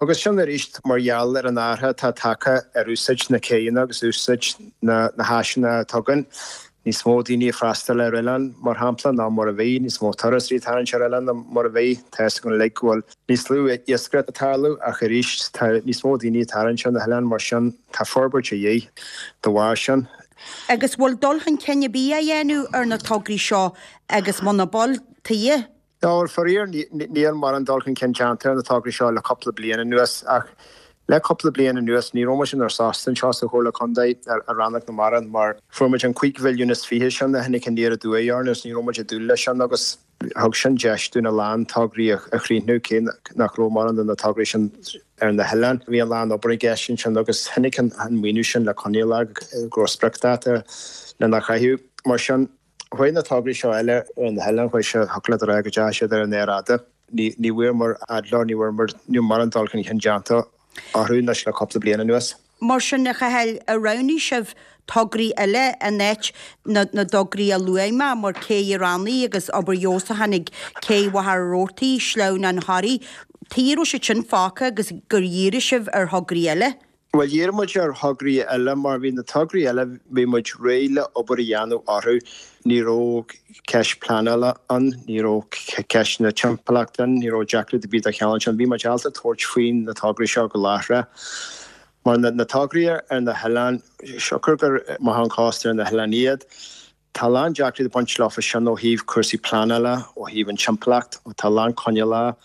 Agus sin arís mar gheall ar an athrú atá tagtha ar úsáid na céanna agus úsáid na háiseanna atá againn. Níos mó daoine ag freastal ar oileáin, mar shampla, ná mar a bhí, níos mó turasóirí ag tarraingt ar oileáin ná mar a bhí. Tá a fhios againn uilig go bhfuil níos lú iascaireacht ag tarlú ach arís tá níos mó daoine ag tarraingt ar na hoileáin mar sin tá forbairt a dhíth de bharr sin. Agus bhfuil dul chun cinn ar bith á dhéanamh ar na tograí seo agus muna bhfuil, tuige? Bhuel, faraor, níl mórán dul chun cinn déanta ar na tograí seo le cúpla bliain anuas. Ach le cúpla bliain anuas, ní raibh muid inár sásta anseo sa Chomhairle Contae i Rannóg na Mara mar fuair muid an 5 mhilliún is 20 sin a tháinig aniar aduaidh orainn agus ní raibh muid ag dúil leis sin agus thug sin deis dúinn a lán tograí a chríochnú cé nach raibh mórán de na tograí sin ar na hoileáin. Bhí a lán obair i gceist ansin agus tháinig an maoiniú sin le coinníollacha go raibh spriocdháta lena chaitheamh. Mar sin. Chuaigh na tograí seo eile ar na hoileáin, chuaigh sé, thiocfadh leat a rá go dteachaigh siad ar an aer fhada. Ní bhfuair fhad leo, ní bhfuair muid, níl mórán dul chun cinn déanta orthu anois le cúpla bliain anuas. Mar sin, a Chathail, ar roghnaigh sibh tograí eile in áit na dtograí a luaigh mé, mar Cé Ránaí agus obair fheabhsúcháin ag Cé Mhachaire Rabhartaigh, Sleamhnán Thoraí, tuige a raibh siad sin fágtha agus gur dhírigh sibh ar thograí eile? Bhuel, dhírigh muid ar thograí eile mar bhí na tograí eile, bhí muid réidh le obair a dhéanamh orthu. Ní raibh ceist pleanála ann, ní raibh ceisteanna timpeallachta ann, ní raibh deacracht ar bith de chineál sin. Bhí muid ábalta tabhairt faoi na tograí seo go láithreach. Mar na tograí ar na hoileáin, siocair gur amach ón chósta ar na hoileáin iad, Tá a lán deacrachtaí ag baint leofa sin ó thaobh cúrsaí pleanála, ó thaobh an timpeallacht, tá a lán coinníollacha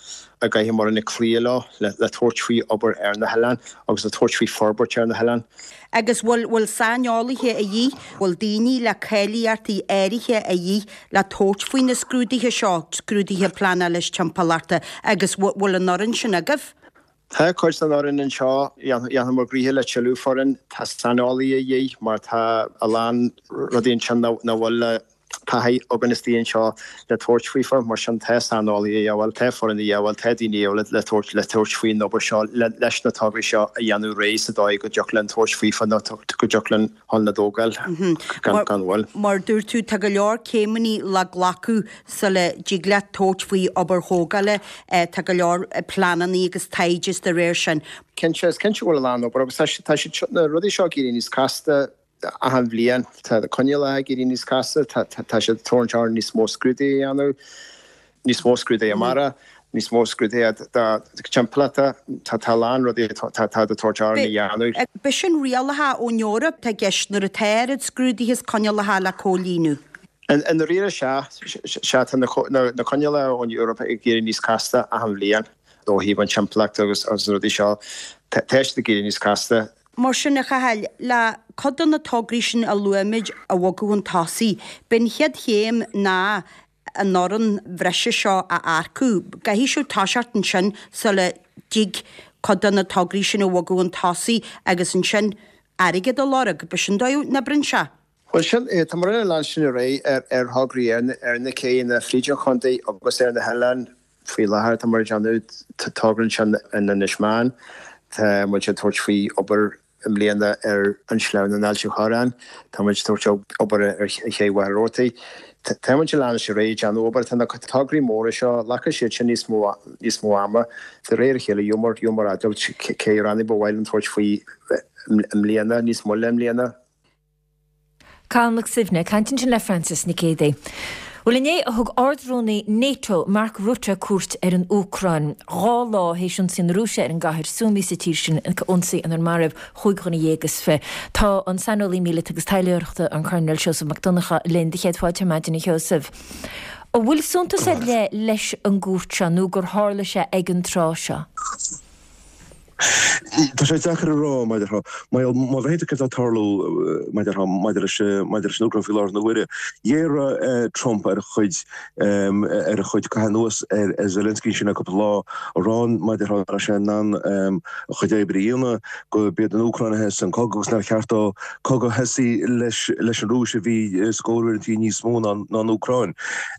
a gcaithfidh muid cloí leo le tabhairt faoi obair ar na hoileáin agus le tabhairt faoi forbairt ar na hoileáin. Agus bhfuil, bhfuil saineolaithe a dhíth, bhfuil daoine le cáilíochtaí áirithe a dhíth le tabhairt faoi na scrúduithe seo, scrúduithe pleanála is timpeallachta agus bhfuil an fhoireann sin agaibh? Tá cuid den fhoireann anseo, dhéanfadh muid gnoithe le tuilleadh foireann. Tá saineolaithe a dhíth mar tá a lán rudaí ansin nach bhfuil le. taithí againn istigh anseo le tabhairt faofa, mar sin tá saineolaithe a dhíobháil, tá foireann a dhíobháil, tá daoine a dhíobháil le tabhairt le tabhairt faoin obair seo leis na tograí seo a dhéanamh réidh sa dóigh go dtiocfadh linn tabhairt faofa nó go dtiocfadh linn chun na dtógáil gan mhoill. Mar a dúirt tú, tá go leor céimeanna le glacadh sula dtig leat tabhairt faoi obair thógála. Tá go leor pleananna agus taighde is dá réir sin. Cinnte, is cinnte go bhfuil a lán obair agus tá siad, na rudaí seo ag éirí níos casta achan bhliain. Tá na coinníollacha ag éirí níos casta, tá siad ag tabhairt orainn níos mó scrúduithe a dhéanamh. níos mó scrúduithe mara, níos mó scrúduithe timpeallachta, tá a lán rudaí atá ag tabhairt orainn a dhéanamh. B'shin rialacha ón Eoraip atá i gceist nuair atá oiread scrúduithe is coinníollacha le comhlíonadh. I ndáiríre sea, sea tá na coinníollacha ón Eoraip ag éirí níos casta achan bhliain ó thaobh an timpeallacht agus na rudaí seo, tá siad ag éirí níos casta. Mar sin, a Chathail, le cuid de na tograí sin a luaigh muid a bhogadh chun tosaigh, b'in chéad chéim ná an fhoireann bhreise seo a earcú. Caithfidh sibh toiseacht ansin sula dtig cuid de na tograí sin a bhogadh chun tosaigh agus ansin airgead a lorg. B'shin dóigh a n-oibríonn sé. Bhuel, sin é. Tá muid ag leanstan ar aghaidh ar thograí ar na céanna fríd an chontae agus ar na hoileáin. Faoi láthair tá muid ag déanamh togra ansin in Inis Meáin. Tá muid ag tabhairt faoi obair i mbliana ar an Sleamhnán Ailt an Chorráin. Tá muid ag tabhairt obair ar Ché Mhachaire Rabhartaigh. Tá muid ag leanstan ar aghaidh ag déanamh obair. Tá na tograí móra seo, glacfaidh siad sin níos mó níos mó ama. De réir a chéile, gheobhaimid gheobhaimid admháil cé rannaí ba mhaith linn tabhairt faoi i mbliana, níos moille i mbliana. Cathal Mac Suibhne ag caint ansin le Frances Nic Géadaigh. Bhuel inné a thug Ard-Rúnaí Nato, Mark Rutte, cuairt ar an Úcráin. 2 lá théis ionsaí na Rúise ar an gcathair Sumy sa tír sin, ionsaí inar maraíodh chúig dhuine dhéag is fi. Tá an saineolaí míleata agus taidhleoireachta, an Coirnéal Seosamh Mac Donncha, linn do Chéad Fáilte ar maidin, a Sheosaimh. An bhfuil suntas ar leith leis an gcuairt seo nó gur tharla sé ag an tráth seo? Tá sé deacair a rá, mar a déarfá. Má bhreathnaíonn tú céard atá ag tarlú, mar a déarfá, maidir leis, maidir leis an Úcráin faoi láthair na huaire, ghéaraigh Trump ar a chuid, ar a chuid caitheamh anuas ar Zelensky ansin le cúpla lá, a rá, mar a déarfá, nach raibh sé in ann a chuid oibre a dhéanamh, go b'iad an Úcráin a thosaigh an cogadh agus nár cheart dó cogadh a thosaí leis, leis an Rúis a bhí scór uaireantaí níos mó ná an Úcráin.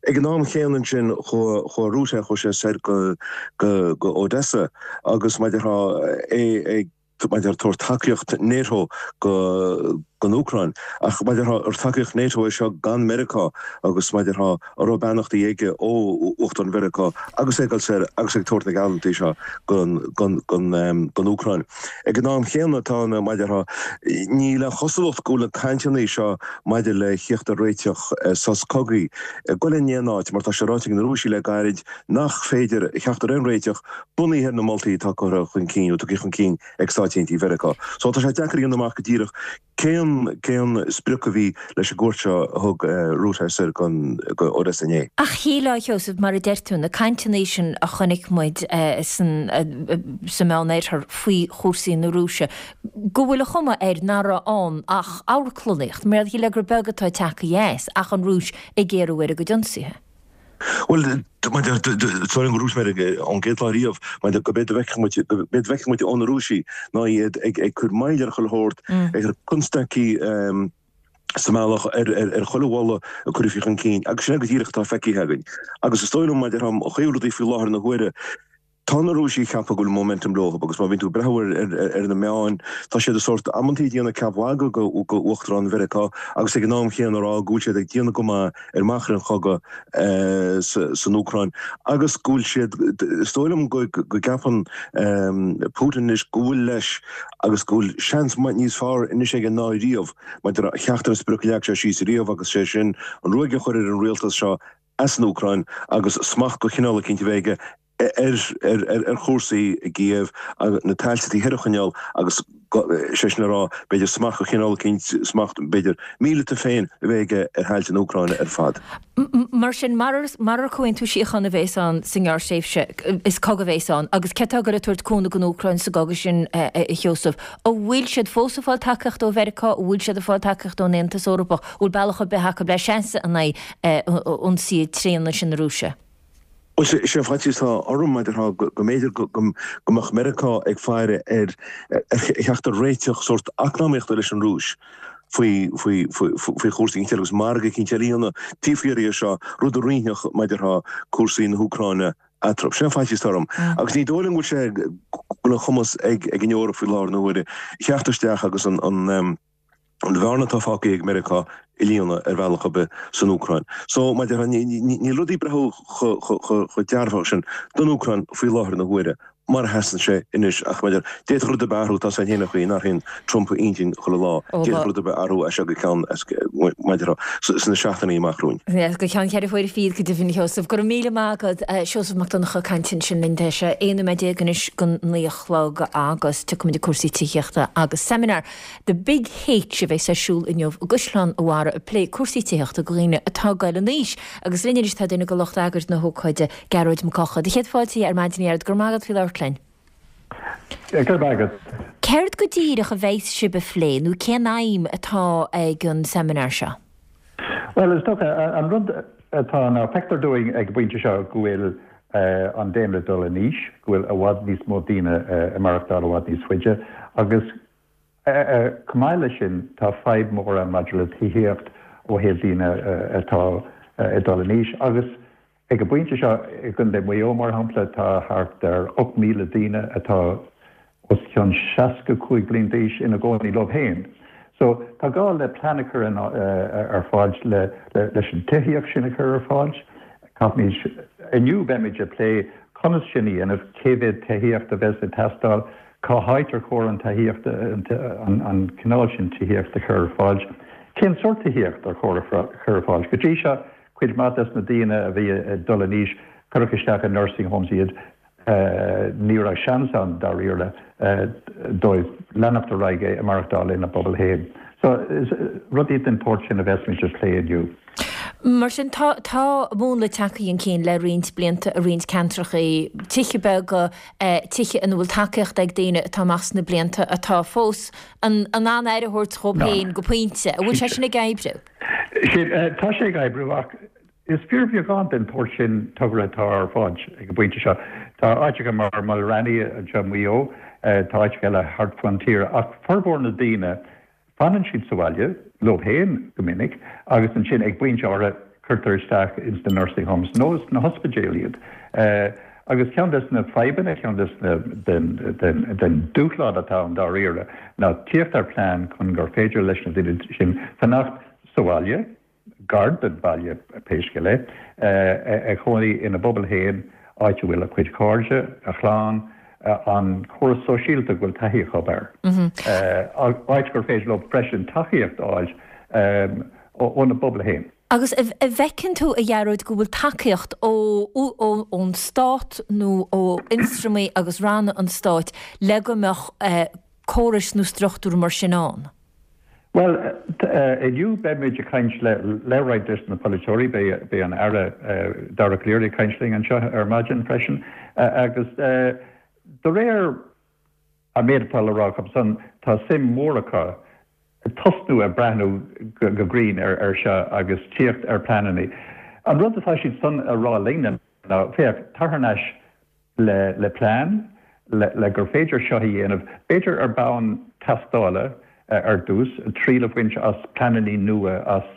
Ag an am chéanna ansin, chuaigh, chuaigh Rutte, chuaigh sé soir go, go, go Odessa. agus mar a déarfá é ag mar a déarfá tabhairt tacaíocht NATO go don Úcráin. Ach mar a déarfá ar tacaíocht NATO é seo gan Meiriceá agus mar a déarfá an raibh beannachtaí aige ó Uachtarán Mheiriceá agus é ag dul soir agus ag tabhairt na geallúintí seo don don don Úcráin. Ag an am chéanna tá na mar a déarfá níl aon chosúlacht go bhfuil na cainteanna seo maidir le thíocht ar réiteach sos cogaidh ag dul in aon áit mar tá sé ráite ag na Rúisigh le gairid nach féidir theacht ar aon réiteach bunaithe ar na moltaí atá curtha chun cinn, nó tugtha chun cinn ag Stáit Aontaithe Mheiriceá. So tá sé deacair a dhéanamh amach go díreach cén cén sprioc a bhí leis an gcuairt seo a thug Rutte soir go go Odessa inné. Ach shílfeá, a Sheosaimh, mar a deir tú, na cainteanna sin a chonaic muid san sa Meánoirthear faoi chúrsaí na Rúise, go bhfuil an chuma air nach raibh ann ach amharclannaíocht, mar shílfeá gur beag atá tagtha as ach an Rúis ag géarú ar a gcuid ionsaithe. Bhuel, sorry go ndúirt mé ón gcéad lá riamh, mar go b'fhéidir bhfeicfeadh muid, go b'fhéidir bhfeicfeadh muid ó na Rúisigh ná iad ag ag cur moill ar chuile shórt, ag cur constaicí sa mbealach ar ar chuile mholadh a cuireadh chun cinn agus sin é go díreach atá feicthe againn. Agus is dóigh liom, mar a déarfá, an chaoi a bhfuil rudaí faoi láthair na huaire, Tá na Rúisigh ag ceapadh go bhfuil momentum leo agus má bhíonn tú ag breathnú ar na meáin, tá siad ag sórt amantaí ag déanamh ceap mhagaidh go Uachtarán Mheiriceá agus ag an am chéanna ag rá go bhfuil siad ag déanamh go maith ar machaire an chogaidh san Úcráin agus go bhfuil siad, is dóigh liom go gceapann Putin anois go bhfuil leis agus go bhfuil seans níos fearr anois aige ná riamh maidir le theacht ar an sprioc a leag sé síos riamh agus sé sin an ruaig a chur ar an rialtas seo as an Úcráin agus smacht de chineál eicínt a bheith aige ar chúrsaí i gCíév, na tailte taobh thoir a choinneáil agus, sé sin le rá, b'fhéidir smacht de chineál eicínt, smacht, b'fhéidir, míleata féin a bheith aige ar thailte na hÚcráine ar fad. Mar sin, marar comhaontú síochána a bhéas ann sa ngearrthréimhse, is cogadh a bhéas ann. Agus cé atá ag goil ag tabhairt cúnamh don Úcráin sa gcogadh sin, a Sheosaimh? An bhfuil siad fós ag fáil tacaíochta ó Mheiriceá? An bhfuil siad ag fáil tacaíochta ón Aontas Eorpach? An bhfuil bealach ar bith acu le seasamh in aghaidh ionsaithe tréana sin na Rúise? Bhuel, sé an faitíos atá orm, mar a déarfá, go mb'fhéidir go mbeadh Meiriceá ag faire ar theacht ar réiteach sórt eacnamaíochta leis an Rúis. faoi faoi faoi faoi chúrsaí eicínt eile agus margadh eicínt eile a dhéanamh taobh thiar dhe seo, rud a roinnfeadh, mar a déarfá, cúrsaí na hÚcráine eatarthu. Sin an faitíos atá orm. Agus ní dóigh liom go bhfuil sé, go bhfuil an chumas ag ag an Eoraip faoi láthair na huaire theacht isteach agus an an an bhearna atá fágtha ag Meiriceá a líonadh ar bhealach ar bith san Úcráin. So, mar a déarfá, níl rudaí ag breathnú chomh dearfach sin don Úcráin faoi láthair na huaire mar a sheasann sé anois ach mar a déarfá, d'fhéadfadh rud ar bith athrú, tá a fhios againn féin an chaoi a n-athraíonn Trump a intinn chuile lá, d'fhéadfadh rud ar bith athrú as seo go ceann, mar a déarfá, sna seachtainí amach romhainn. Go ceann cheithre huaire fichead go deimhin, a Sheosaimh. Go raibh míle maith agat, Seosamh Mac Donncha ag caint ansin linn. Tá sé 11 nóiméad anois go 9 a chlog agus tiocfaimid ag cúrsaí tithíochta agus seimineár The Big H a bheas ar siúl inniu i gCaisleán a' Bharraigh ag plé cúrsaí tithíochta do dhaoine atá ag goil in aois. Agus linn anois tá duine de lucht eagair na hócáide, Gearóid Mac Eocha. Do chéad fáilte ar maidin a Ghearóid, go raibh maith agat faoi labhairt linn. Go raibh maith agat. Céard go díreach a bheas sibh a phlé nó cén aidhm atá ag an seimineár seo? Bhuel, is dócha, an rud atá ná feictear dúinn ag an bpointe seo go bhfuil an daonra ag dul in aois, go bhfuil i bhfad níos mó daoine ag maireachtáil i bhfad níos faide agus Chomh maith leis sin, tá fadhb mhór ann maidir le tithíocht ó thaobh daoine atá ag dul in aois agus ag an bpointe seo i gContae Mhaigh Eo, mar shampla, tá thart ar 8,000 daoine atá os cionn 65 bliain d'aois ina gcónaí leo féin. So, tá gá le plean a chur ar fáil leis an tithíocht sin a chur ar fáil. Caithfimid, inniu beimid ag plé conas sin a dhéanamh, cé mhéad tithíocht a bheas ag teastáil, Cá háit ar chóir an tithíocht, an cineál sin tithíocht a chur ar fáil? Cén sórt tithíocht ar chóir a chur ar fáil? Go dtí seo, cuid mhaith des na daoine a bhí ag dul in aois, cuireadh isteach i nursing homes iad. Ní raibh seans ann, dáiríre, dóibh leanacht ar aghaidh ag maireachtáil ina bpobal féin. So, rudaí den tsórt sin a bheas muid ag plé inniu. Mar sin, tá, tá múnla tagtha chun cinn le roinnt blianta i roinnt ceantracha, tithe beaga, tithe ina bhfuil tacaíocht ag daoine atá amach sna blianta atá fós in ann aire a thabhairt dhóibh féin go pointe. An bhfuil sé sin ag oibriú? Sin, tá sé ag oibriú ach is fíorbheagán den tsórt sin togra atá ar fáil ag an bpointe seo. Tá áiteacha mar Mulranny anseo i Maigh Eo, tá áiteacha eile thart fán tír ach formhór na daoine, Fanann siad sa bhaile leo féin go minic agus ansin ag pointe áirithe cuirtear isteach ins na nursing homes nó sna hospidéil iad. Agus ceann des na fadhbanna, ceann des na, den, den, den dúshlán atá ann dáiríre ná tíocht ar plean chun gur féidir leis na daoine sin fanacht sa bhaile, gar don bhaile pé scéal é, ag cónaí ina bpobal féin, áit a bhfuil a cuid cairde, a chlann, an córas sóisialta go bhfuil taithí acu air, áit gur féidir leo freisin tacaíocht a fháil óna bpobal féin. Agus an bhfeiceann tú, a Ghearóid, go bhfuil tacaíocht ón stát nó ó ionstraimí agus ranna an stáit le go mbeadh córais nó struchtúir mar sin ann? Bhuel, inniu beidh muid ag caint le le roinnt des na polaiteoirí, beidh an Aire Dara Calleary ag caint linn anseo ar maidin freisin agus de réir an méid atá le rá acu san, tá suim mhór acu tosnú ag breathnú go grinn ar seo agus tíocht ar pleananna. An rud atá siad san a rá linne ná, féach, tar thar n-ais le plean le gur féidir seo a dhéanamh, b'fhéidir ar bhonn tástála ar dtús, triail a bhaint as pleananna nua, as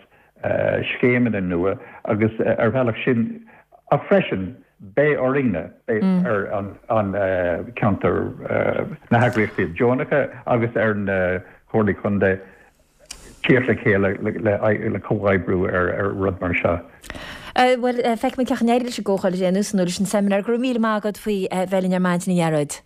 scéimeanna nua agus ar bhealach sin, ach freisin beidh orainne, beidh ar an ceantar, na heagraíochtaí deonacha agus ar na comhairlí contae, tíocht le chéile le comhoibriú ar rud mar seo. Bhuel, feicfimid cén chaoi a n-éireoidh leis an gcomhdháil ar aon nós nó leis an seimineár. Go raibh míle maith agat faoi bheith linn ar maidin, a Ghearóid.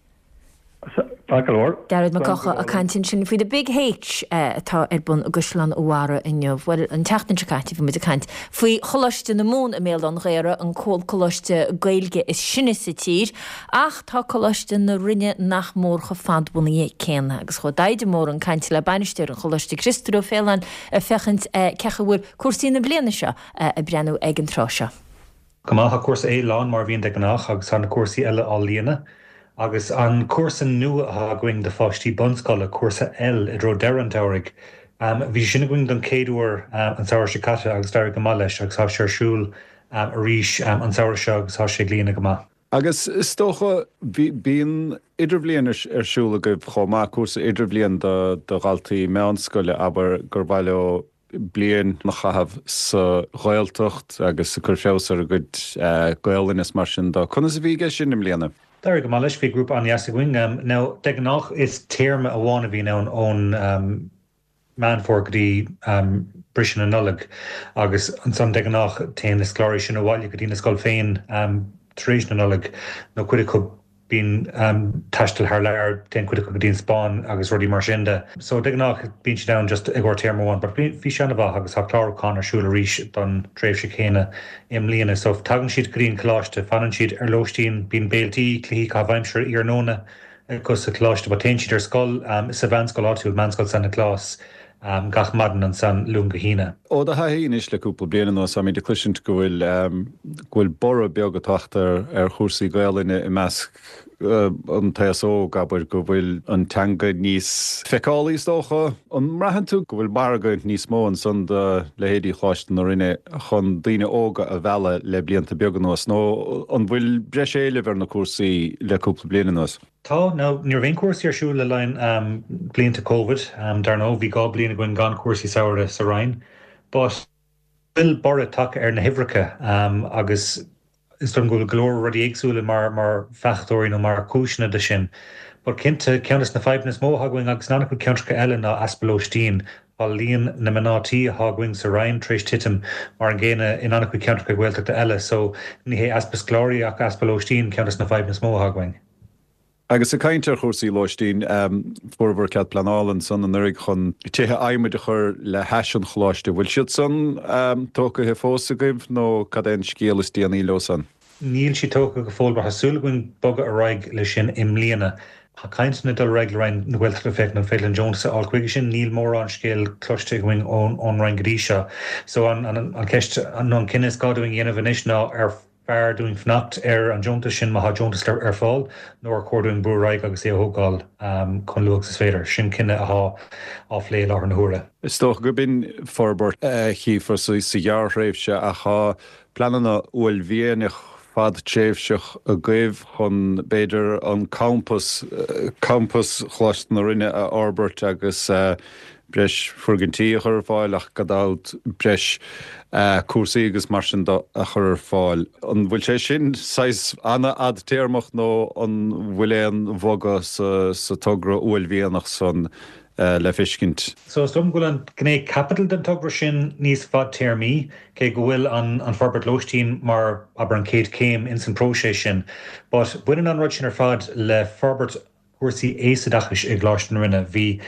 Maith go leor. Gearóid Mac Eocha ag caint ansin faoi The Big H atá ar bun i gCaisleán an Bharraigh inniu. Bhuel, an tseachtain seo caite bhí muid ag caint faoi Choláiste na Mumhan i mBéal Átha an Ghaorthaidh, an coláiste Gaeilge is sine sa tír. Ach tá Coláiste na Rinne nach mór chomh fadbhunaithe céanna agus chuaigh Tadhg de Mórdha chun cainte le bainisteoir an Choláiste Criostóir Ó Faoláin ag féachaint cén chaoi a bhfuil cúrsaí na bliana seo ag breathnú ag an tráth seo. Go maith, tá cúrsa A lán mar a bhíonn de gnách agus tá na cúrsaí eile á líonadh. Agus an cúrsa nua atá againn do pháistí bunscoile, cúrsa L i dtreo deireadh an tsamhraidh, bhí sé sin againn don chéad uair an samhradh seo caite agus d'éirigh go maith leis agus tá sé ar siúl arís an samhradh seo agus tá sé ag líonadh go maith. Agus is dócha, bíonn idirbhliain ar siúl agaibh chomh maith, cúrsa idirbhliain do dhaltaí meánscoile, abair, gur mhaith leo bliain a chaitheamh sa Ghaeltacht agus ag cur feabhas ar a gcuid Gaolainne is mar sin de. Conas a bhí aige sin i mbliana? D'éirigh go maith leis, bhí grúpa an-dheas againn. Now, de ghnáth is téarma amháin a bhíonn ann ón Meán Fómhair go dtí briseadh na Nollag agus ansan de ghnáth téann na scoláirí sin abhaile go dtí na scoil féin tar éis na Nollag nó cuid acu bíonn taisteal thar lear, téann cuid acu go dtí an Spáinn agus rudaí mar sin de. So de ghnáth bíonn siad ann just i gcomhair téarma amháin but bhí sé an-mhaith agus tá clárúchán ar siúl arís don tréimhse chéanna i mbliana. So tagann siad go dtí an coláiste, fanann siad ar lóistín, bíonn béiltí, cluichí caitheamh aimsire iarnóna, acu sa choláiste but téann siad ar scoil sa mheánscoil áitiúil, Meánscoil San Nioclás, gach maidin ansan, Luan go hAoine. Ó do thaithí anois le cúpla bliain anuas, táimid ag cloisint go bhfuil go bhfuil borradh beag ag teacht ar ar chúrsaí Gaolainne i measc an t-aos óg, abair, go bhfuil an teanga níos feiceálaí is dócha. An mbraitheann tú go bhfuil margadh níos mó ansan do leithéidí Choláiste na Rinne chun daoine óga a mhealladh le blianta beaga anuas nó an bhfuil breis éilimh ar na cúrsaí le cúpla bliain anuas? Tá. Now, ní raibh aon chúrsaí ar siúl le linn blianta Covid, dar ndóigh. Bhí 2 bliain againn gan chúrsaí samhraidh sa Roinn. But bhfuil borradh tagtha ar na huimhreacha agus is dóigh liom go bhfuil go leor rudaí éagsúla mar mar fachtóirí nó mar chúiseanna de sin. But cinnte, ceann de na fadhbanna is mó atá againn agus in an-chuid ceantracha eile ná easpa lóistín. Tá líon na mná tí atá againn sa Roinn tar éis titim mar an gcéanna in an-chuid ceantracha Gaeltachta eile. So ní hé easpa scoláirí ach easpa lóistín ceann de na fadhbanna is mó atá againn. Agus ag caint ar chúrsaí lóistín, fuaireabhair cead pleanála ansan anuraidh chun tithe adhmaid a chur le hais an choláiste. Bhfuil siad san tógtha fós agaibh nó cad é an scéal is déanaí leo san? Níl siad tógtha go fóill but tá súil againn bogadh ar aghaidh leis sin i mbliana. Tá cainteanna ag dul ar aghaidh le Roinn na Gaeltachta féachaint an féidir linn deontas a fháil chuige sin. Níl mórán scéal cloiste againn ón Roinn go dtí seo. So an cheist nó an cinneadh is gá dúinn a dhéanamh anois ná ar fearr dúinn fanacht ar an deontas sin má tá deontas ar fáil nó ar chóir dúinn brú ar aghaidh agus é a thógáil chomh luath agus is féidir. Sin cinneadh atá á phlé i láthair na huaire. Is dócha gurb in forbairt a chífear sa ghearrthréimhse ach tá pleananna uaillmhianach fadtréimhseach agaibh chun, b'fhéidir, an campas, campas Choláiste na Rinne a fhorbairt agus breis foirgintí a chur ar fáil ach gan dabht breis cúrsaí agus mar sin de a chur ar fáil. An bhfuil sé sin saghas an-fhadtéarmach nó an bhfuil aon bhogadh sa togra uaillmhianach san le feiscint? So is dóigh liom go bhfuil an ghné caipitil den togra sin níos fadtéarmaí, cé go bhfuil an an forbairt lóistín mar, abair, an chéad chéim ins an próiseas sin. But baineann an rud sin ar fad le forbairt cúrsaí aosoideachais i gColáiste na Rinne. Bhí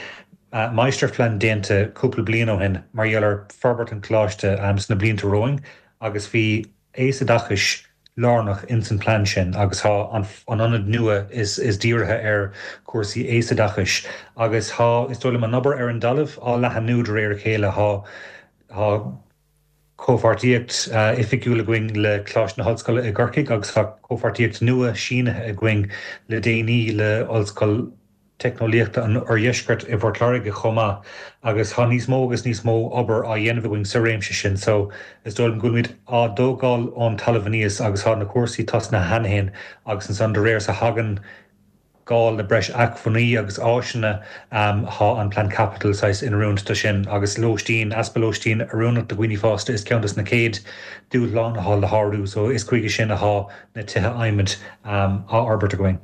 máistirphlean déanta cúpla bliain ó shin mar gheall ar forbairt an choláiste sna blianta romhainn agus bhí aosoideachais lárnach ins an plean sin agus tá an ionad nua is dírithe ar chúrsaí aosoideachais agus tá, is dóigh liom, an obair ar an dtalamh á leathanú de réir a chéile. Tá, tá. comhpháirtíocht oifigiúil againn le Coláiste na hOllscoile i gCorcaigh agus tá comhpháirtíocht nua sínithe againn le déanaí le Ollscoil Teicneolaíochta an Oirdheiscirt i bPort Láirge chomh maith agus tá níos mó agus níos mó obair á dhéanamh againn sa réimse sin so is dóigh liom go bhfuilimid á dtógáil ón talamh aníos agus tá na cúrsaí tosnaithe cheana féin agus ansan de réir is a thagann gá le breis acmhainní agus áiseanna, tá an plean caipitil saghas in oiriúint do sin agus lóistín, easpa lóistín oiriúnach do dhaoine fásta is ceann des na chéad dúshláin atá le shárú so is chuige sin atá na tithe adhmaid á fhorbairt againn.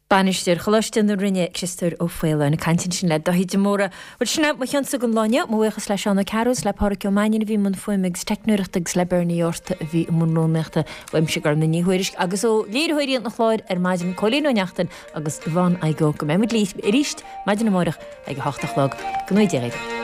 Bainisteoir Choláiste na Rinne, Criostóir Ó Faoláin, ag caint ansin le Dáithí de Mórdha. Bhuel, sin é mo chionsa don lá inniu. Mo bhuíochas le Seán Ó Cearúil is le Pádhraic Ó Mainnín a bhí i mbun fuaime agus teicneoireachta agus le Bernie Yorta a bhí i mbun rúnaíochta. Uaimse Gormfhlaith Ní Thuairisg agus ó léiritheoirí an chláir ar maidin, Cóilín Ó Neachtain agus Yvonne Igoe, go mbeidh muid libh arís maidin amárach ag a hocht a chlog. Go ngnóthaí Dia dhaoibh.